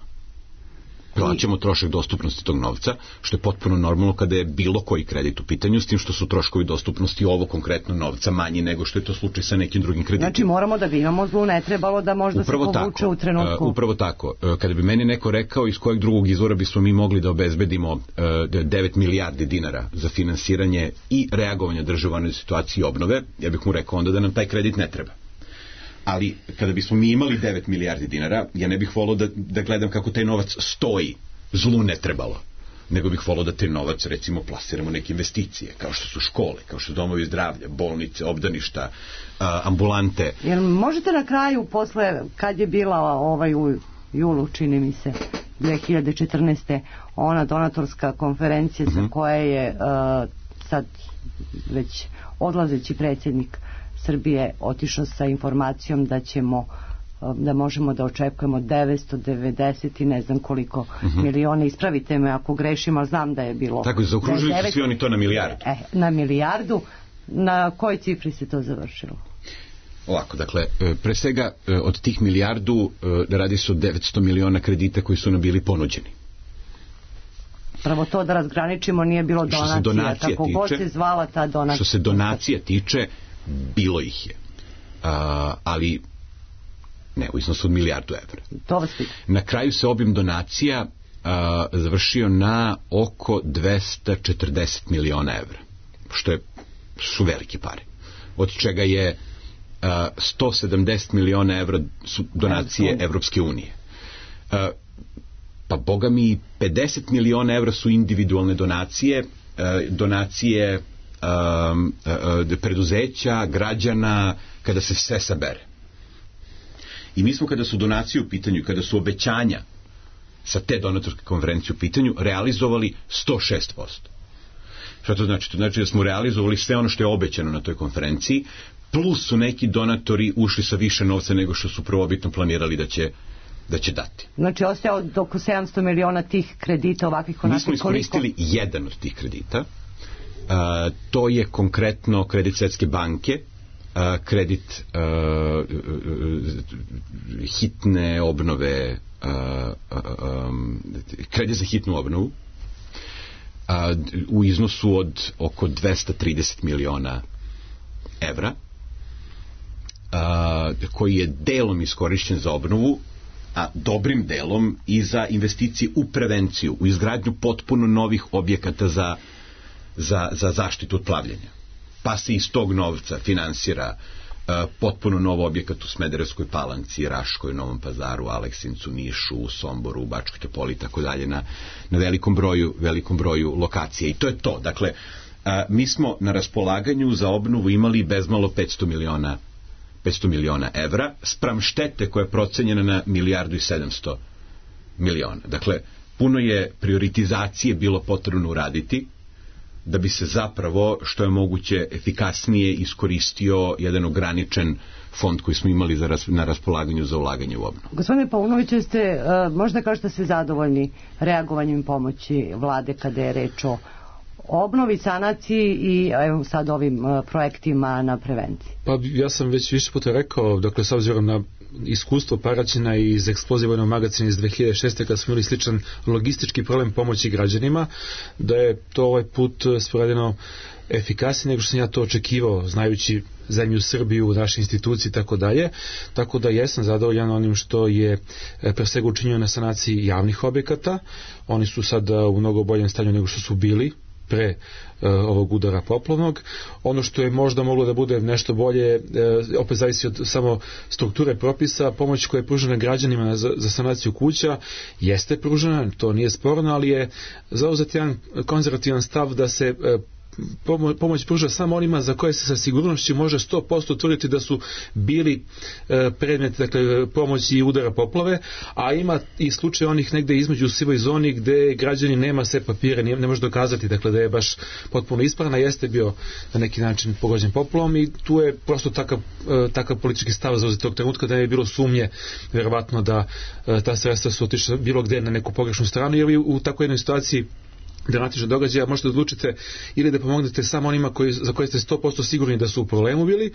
Plaćamo trošak dostupnosti tog novca, što je potpuno normalno kada je bilo koji kredit u pitanju, s tim što su troškovi dostupnosti ovo konkretno novca manji nego što je to slučaj sa nekim drugim kreditima.
Znači moramo da bi imamo zlu, ne trebalo da možda
upravo
se povuče
tako,
u trenutku.
Uh, upravo tako. Uh, kada bi meni neko rekao iz kojeg drugog izvora bismo mi mogli da obezbedimo uh, devet milijardi dinara za finansiranje i reagovanje države u situaciji obnove, ja bih mu rekao onda da nam taj kredit ne treba. Ali kada bismo mi imali devet milijardi dinara, ja ne bih volao da, da gledam kako taj novac stoji, zlu ne trebalo, nego bih volao da taj novac recimo plasiramo neke investicije, kao što su škole, kao što su domovi zdravlja, bolnice, obdaništa, a, ambulante.
Jel možete na kraju, posle, kad je bila ovaj u julu, čini mi se, dve hiljade četrnaeste. ona donatorska konferencija sa koje je uh, sad već odlazeći predsjednik Srbije otišao sa informacijom da ćemo da možemo da očekujemo devetsto devedeset i ne znam koliko uh-huh. miliona, ispravite me ako grešim, ali znam da je bilo.
Tako, zaokružili su svi oni to na milijardu.
E, na milijardu. Na kojoj cifri se to završilo?
Ovako, dakle, pre svega od tih milijardu radi se o devetsto miliona kredita koji su nam bili ponuđeni.
Pravo to da razgraničimo, nije bilo donacija,
donacija
kako
tiče,
god se zvala ta donacija.
Što se donacija tiče, bilo ih je. A, ali ne, u iznosu od milijardu evra.
To vas pitam.
Na kraju se obim donacija a, završio na oko dvesta četrdeset miliona evra, što je, su velike pare. Od čega je a, sto sedamdeset miliona evra su donacije Evropske unije. A, pa boga mi pedeset miliona evra su individualne donacije, a, donacije a, a, preduzeća, građana, kada se sve sabere. I mi smo, kada su donacije u pitanju, kada su obećanja sa te donatorske konferencije u pitanju, realizovali sto šest posto. Šta to znači? To znači da smo realizovali sve ono što je obećano na toj konferenciji, plus su neki donatori ušli sa više novca nego što su prvobitno planirali da će, da će dati.
Znači, ostaje od oko sedamsto miliona tih kredita ovakvih onakvih.
Mi smo iskoristili koliko? jedan od tih kredita. A, to je konkretno kredit Svetske banke, a, kredit a, hitne obnove, a, a, a, kredit za hitnu obnovu, a, u iznosu od oko dvesta trideset miliona evra, a, koji je delom iskorišćen za obnovu, a dobrim delom i za investicije u prevenciju, u izgradnju potpuno novih objekata za, za, za zaštitu od plavljenja. Pa se iz tog novca finansira uh, potpuno nov objekat u Smederevskoj Palanci, Raškoj, Novom Pazaru, Aleksincu, Nišu, Somboru, Bačkoj Topoli i tako dalje, na, na velikom broju, velikom broju lokacija. I to je to. Dakle, uh, mi smo na raspolaganju za obnovu imali bezmalo petsto miliona petsto miliona evra, spram štete koja je procenjena na milijardu i sedamsto miliona. Dakle, puno je prioritizacije bilo potrebno uraditi da bi se zapravo što je moguće efikasnije iskoristio jedan ograničen fond koji smo imali za ras, na raspolaganju za ulaganje u obnovu.
Gospodine Paunoviću, ste uh, možda kažete ste zadovoljni reagovanjem pomoći vlade kada je reč o obnovi, sanaciji i evo sad ovim uh, projektima na prevenciji?
Pa ja sam već više puta rekao, dakle s obzirom na iskustvo Paraćina iz eksplozivnog magazina iz dve hiljade šeste kad smo imali sličan logistički problem pomoći građanima, da je to ovaj put sporadeno efikasnije nego što sam ja to očekivao, znajući zemlju Srbiju, naše institucije i tako dalje. Tako da jesam zadovoljan onim što je pre svega učinjeno na sanaciji javnih objekata. Oni su sad u mnogo boljem stanju nego što su bili pre uh, ovog udara poplavnog. Ono što je možda moglo da bude nešto bolje, uh, opet zavisi od samo strukture propisa, pomoć koja je pružena građanima za, za sanaciju kuća jeste pružena, to nije sporno, ali je zauzet jedan konzervativan stav da se uh, pomoć pruža samo onima za koje se sa sigurnošću može sto posto tvrditi da su bili predmet, dakle, pomoći i udara poplave, a ima i slučaj onih negde između u sivoj zoni gde građani nema sve papire, ne može dokazati, dakle, da je baš potpuno ispravan, a jeste bio na neki način pogođen poplavom i tu je prosto takav, takav politički stav za tog trenutka da je bilo sumnje verovatno da ta sredstva su otišla bilo gde na neku pogrešnu stranu, jer u takvoj jednoj situaciji dramatičnog događaja možete odlučite ili da pomognete samo onima koji, za koje ste sto posto sigurni da su u problemu bili,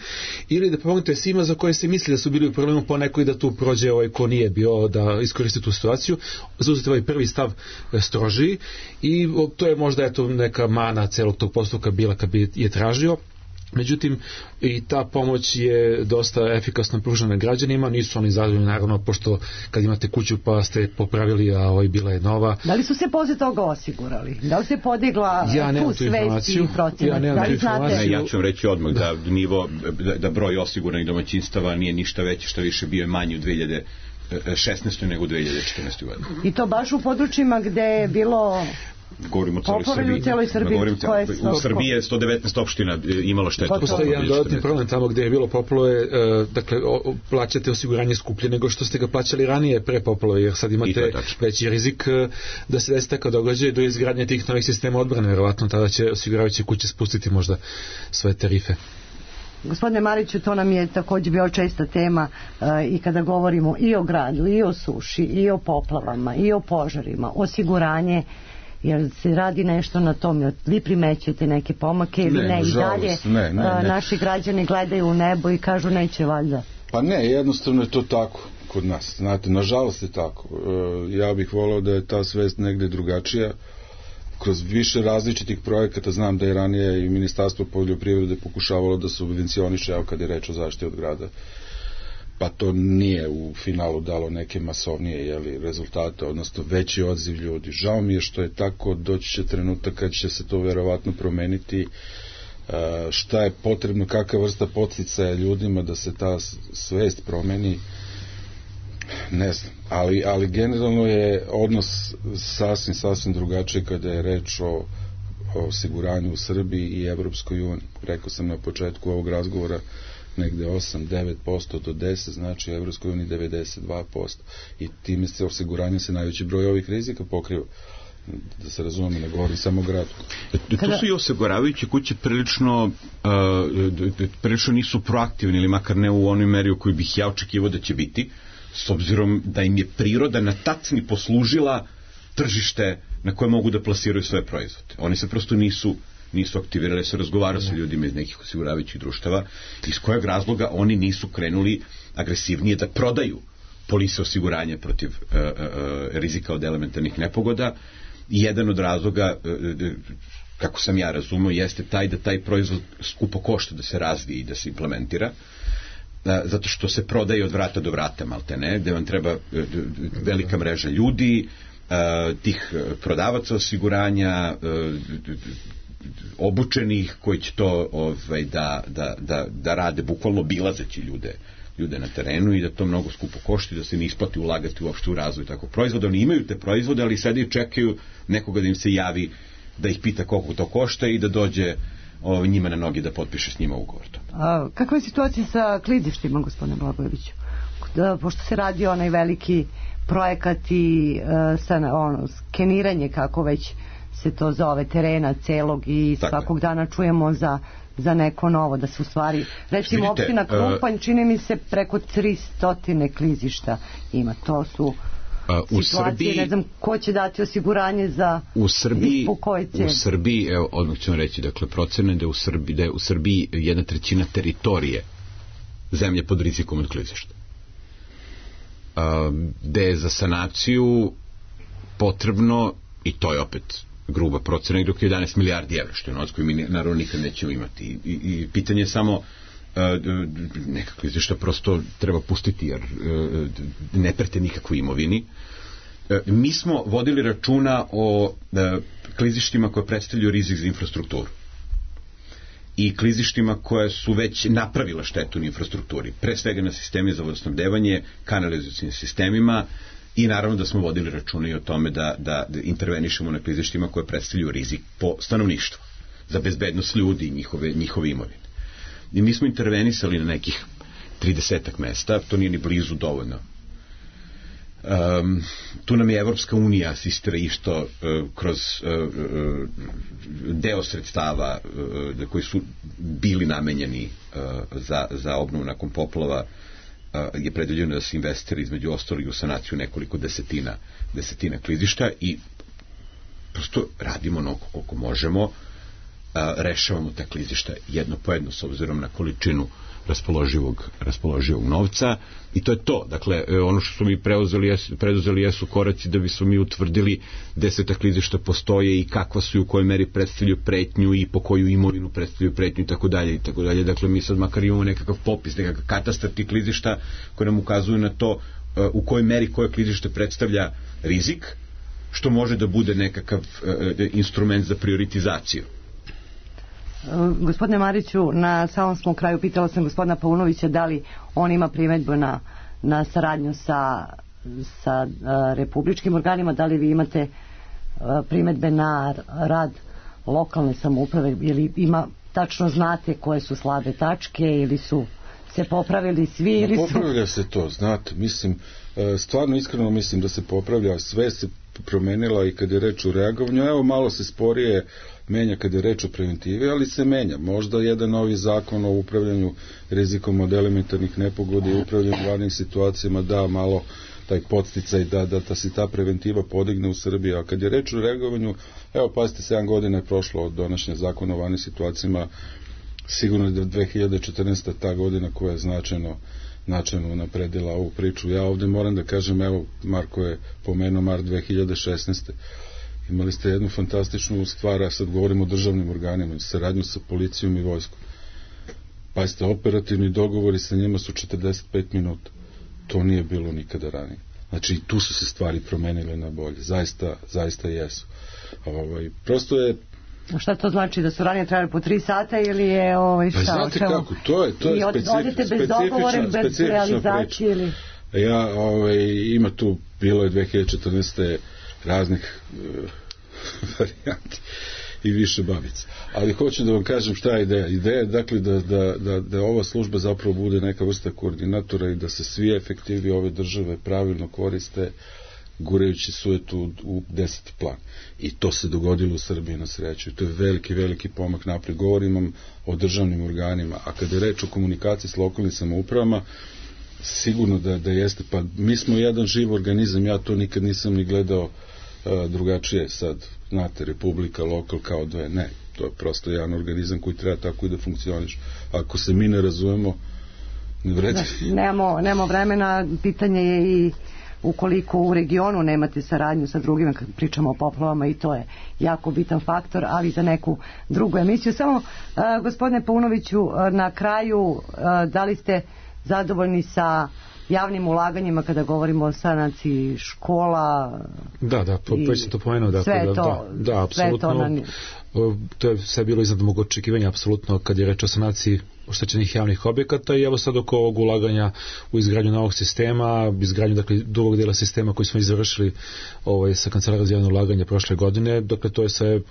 ili da pomognete svima za koje se misli da su bili u problemu, po nekoj da tu prođe ovaj ko nije bio, da iskoristi tu situaciju, zauzeti ovaj prvi stav strožiji i to je možda eto neka mana celog tog postupka bila kad bi je tražio. Međutim, i ta pomoć je dosta efikasno pružena građanima, nisu oni zadovoljni naravno, pošto kad imate kuću pa ste popravili, a ovaj bila je nova.
Da li su se posle toga osigurali? Da li se podigla
ja
tu svest i procenat?
Ja nemam
da li znate?
Ne, ja ću vam reći odmah da, da nivo, da, da broj osiguranih domaćinstava nije ništa veći, što više bio je manji u dve hiljade šesnaestoj nego u dve hiljade četrnaestoj godini.
I to baš u područjima gde je bilo...
Govorimo o celoj Srbiji.
Celoj Srbiji.
Govorimo cijelo, u Srbiji je sto devetnaest opština imalo štetu.
Postoji jedan dodatni problem tamo gdje je bilo poplove, dakle o, plaćate osiguranje skuplje nego što ste ga plaćali ranije pre poplove, jer sad imate veći rizik da se desi takav događaj do izgradnje tih novih sistema odbrane, verovatno tada će osiguravajuće kuće spustiti možda svoje tarife.
Gospodine Mariću, to nam je također bio česta tema uh, i kada govorimo i o gradu, i o suši, i o poplavama, i o požarima, osiguranje, jer se radi nešto na tom, vi primećujete neke pomake ili ne, ne i dalje
ne, ne, ne.
naši građani gledaju u nebo i kažu neće valjda.
Pa ne, jednostavno je to tako kod nas, znate, nažalost je tako. E, ja bih voleo da je ta svest negde drugačija, kroz više različitih projekata. Znam da je ranije i Ministarstvo poljoprivrede pokušavalo da subvencioniše, evo kad je reč o zaštiti od grada, pa to nije u finalu dalo neke masovnije jeli, rezultate, odnosno veći odziv ljudi. Žao mi je što je tako, doći će trenutak kad će se to verovatno promeniti. E, šta je potrebno, kakva vrsta podsticaja ljudima da se ta svest promeni, ne znam, ali, ali generalno je odnos sasvim, sasvim drugačiji kada je reč o, o osiguranju u Srbiji i Evropskoj uniji. Rekao sam na početku ovog razgovora negde osam do devet posto do deset, znači u Evropskoj uniji devedeset dva posto i time se osiguranje se najveći broj ovih rizika pokriva. Da se razumemo, ne govorim samo o gradu.
Tu su i osiguravajuće kuće prilično uh, prilično nisu proaktivni, ili makar ne u onoj meri u kojoj bih ja očekivao da će biti, s obzirom da im je priroda na tacni poslužila tržište na koje mogu da plasiraju svoje proizvode. Oni se prosto nisu nisu aktivirali, se razgovarao sa ljudima iz nekih osiguravajućih društava, iz kojeg razloga oni nisu krenuli agresivnije da prodaju polise osiguranja protiv uh, uh, rizika od elementarnih nepogoda. I jedan od razloga, uh, kako sam ja razumio, jeste taj da taj proizvod skupo košta da se razvije i da se implementira, uh, zato što se prodaje od vrata do vrata, malte ne, gde vam treba uh, velika mreža ljudi, uh, tih prodavaca osiguranja, uh, obučenih koji će to ovaj, da, da, da, da rade bukvalno bilazeći ljude ljude na terenu i da to mnogo skupo košti, da se ne isplati ulagati uopšte u razvoj takvog proizvoda. Oni imaju te proizvode, ali sad i čekaju nekoga da im se javi, da ih pita koliko to košta i da dođe ovaj, njima na noge da potpiše s njima ugovor.
A, kakva je situacija sa klizištima, gospodine Blagojeviću? Da, pošto se radi onaj veliki projekat i uh, sa, ono, skeniranje, kako već se to zove, terena celog i tako svakog je. Dana čujemo za, za neko novo, da se u stvari, recimo vidite, opština Krupanj, uh, čini mi se preko tristo klizišta ima, to su uh, u situacije, Srbiji, ne znam ko će dati osiguranje za
u Srbiji, u Srbiji, evo, odmah ću vam reći, dakle, procene da je u Srbiji, da je u Srbiji jedna trećina teritorije zemlje pod rizikom od klizišta. Uh, gde je za sanaciju potrebno, i to je opet gruba procena, dok je jedanaest milijardi evra, što je novac koji mi naravno nikad nećemo imati. I, i, i pitanje je samo uh, nekako klizišta prosto treba pustiti, jer uh, ne prete nikakvoj imovini. Uh, mi smo vodili računa o uh, klizištima koje predstavljaju rizik za infrastrukturu i klizištima koje su već napravila štetu na infrastrukturi, pre svega na sistemi za vodosnabdevanje, kanalizacijnim sistemima, i naravno da smo vodili računa i o tome da, da, da intervenišemo na klizištima koje predstavljaju rizik po stanovništvo. za bezbednost ljudi i njihove, njihove imovine. I mi smo intervenisali na nekih tridesetak mesta, to nije ni blizu dovoljno. Um, tu nam je Evropska unija asistira išto uh, kroz uh, uh, deo sredstava uh, koji su bili namenjeni uh, za, za obnovu nakon poplava, uh, je predviđeno da se investira između ostalih u sanaciju nekoliko desetina desetina klizišta i prosto radimo onoliko koliko možemo, uh, rešavamo ta klizišta jedno po jedno s obzirom na količinu raspoloživog, raspoloživog novca i to je to. Dakle, ono što smo mi preuzeli jesu, preduzeli jesu koraci da bismo mi utvrdili gde se ta klizišta postoje i kakva su i u kojoj meri predstavljaju pretnju i po koju imovinu predstavljaju pretnju i tako dalje i tako dalje. Dakle, mi sad makar imamo nekakav popis, nekakav katastar tih klizišta koji nam ukazuju na to uh, u kojoj meri koje klizište predstavlja rizik, što može da bude nekakav uh, instrument za prioritizaciju.
Gospodine Mariću, na samom smo kraju pitala sam gospodina Paunovića da li on ima primedbu na, na saradnju sa, sa uh, republičkim organima, da li vi imate uh, primedbe na rad lokalne samouprave, ili ima, tačno znate koje su slabe tačke ili su se popravili svi ili su...
Popravlja se to, znate, mislim, stvarno iskreno mislim da se popravlja, sve se promenila i kad je reč o reagovanju, evo malo se sporije menja kad je reč o preventivi, ali se menja. Možda jedan novi zakon o upravljanju rizikom od elementarnih nepogoda i upravljanju vanrednih situacijama da malo taj podsticaj da, da, da se ta preventiva podigne u Srbiji, a kad je reč o reagovanju, evo pazite, sedam godina je prošlo od donošenja zakona o vanrednim situacijama, sigurno da dve hiljade četrnaesta ta godina koja je značajno značajno napredila ovu priču. Ja ovde moram da kažem, evo, Marko je pomenuo mart dve hiljade šesnaeste. Imali ste jednu fantastičnu stvar, a sad govorimo o državnim organima, saradnju sa policijom i vojskom. Pa ste operativni dogovori sa njima su četrdeset pet minuta. To nije bilo nikada ranije. Znači, tu su se stvari promenile na bolje. Zaista, zaista jesu. Ovaj, prosto je...
Šta to znači, da su ranije trajali po tri sata ili je ovaj, šta?
Pa znate kako, to je, to je specifična, specifična,
bez realizacije ili...
Ja, ovaj, ima tu, bilo je dve hiljade četrnaeste raznih uh, varijanti i više babica. Ali hoću da vam kažem šta je ideja. Ideja je dakle da, da, da, da ova služba zapravo bude neka vrsta koordinatora i da se svi efektivi ove države pravilno koriste gurajući sujetu u deseti plan. I to se dogodilo u Srbiji na sreću. I to je veliki, veliki pomak napred. Govorim o državnim organima. A kada je reč o komunikaciji s lokalnim samoupravama, sigurno da, da jeste. Pa mi smo jedan živ organizam. Ja to nikad nisam ni gledao uh, drugačije. Sad, znate, republika, lokal kao dve. Ne, to je prosto jedan organizam koji treba tako i da funkcioniš. Ako se mi ne razumemo, ne vredi.
Da, nemamo, nemamo vremena. Pitanje je i ukoliko u regionu nemate saradnju sa drugima, kad pričamo o poplavama, i to je jako bitan faktor, ali za neku drugu emisiju. Samo, uh, gospodine Paunoviću, uh, na kraju, uh, da li ste zadovoljni sa javnim ulaganjima kada govorimo o sanaciji škola?
Da, da, već sam to pomenuo. Dakle,
sve
da,
to,
da, da, apsolutno. To, na... to je sve bilo iznad mog očekivanja, apsolutno, kad je reč o sanaciji oštećenih javnih objekata, i evo sad oko ovog ulaganja u izgradnju novog sistema, izgradnju dakle drugog dela sistema koji smo izvršili ovaj, sa Kancelarijom za javno ulaganje prošle godine, dakle to je sve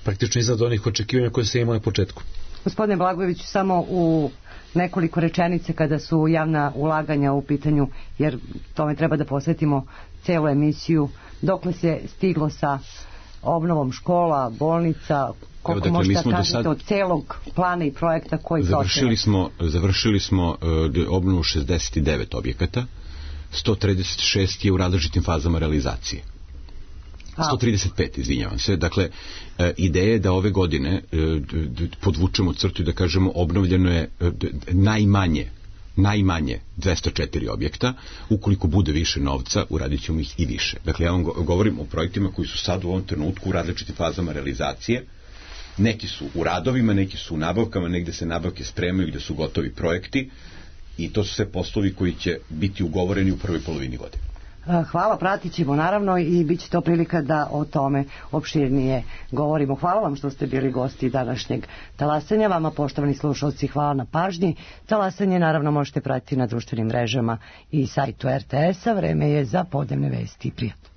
praktično iznad onih očekivanja koje se imao na početku.
Gospodine Blagojević, samo u nekoliko rečenice kada su javna ulaganja u pitanju, jer tome treba da posvetimo celu emisiju, dokle se stiglo sa obnovom škola, bolnica, koliko
Evo, dakle,
možete da kažete
sad...
od celog plana i projekta koji
završili smo, završili smo uh, obnovu šezdeset devet objekata, sto trideset šest je u različitim fazama realizacije. sto trideset pet, izvinjavam se. Dakle, e, ideja je da ove godine e, d, podvučemo crtu i da kažemo obnovljeno je e, d, najmanje najmanje dvesta četiri objekta. Ukoliko bude više novca, uradit ćemo ih i više. Dakle, ja vam govorim o projektima koji su sad u ovom trenutku u različitim fazama realizacije. Neki su u radovima, neki su u nabavkama, negde se nabavke spremaju, gde su gotovi projekti, i to su sve poslovi koji će biti ugovoreni u prvoj polovini godine.
Hvala, pratit ćemo naravno i bit će to prilika da o tome opširnije govorimo. Hvala vam što ste bili gosti današnjeg talasanja. Vama, poštovani slušalci, hvala na pažnji. Talasanje naravno možete pratiti na društvenim mrežama i sajtu er te es a. Vreme je za podnevne vesti. Prijatno.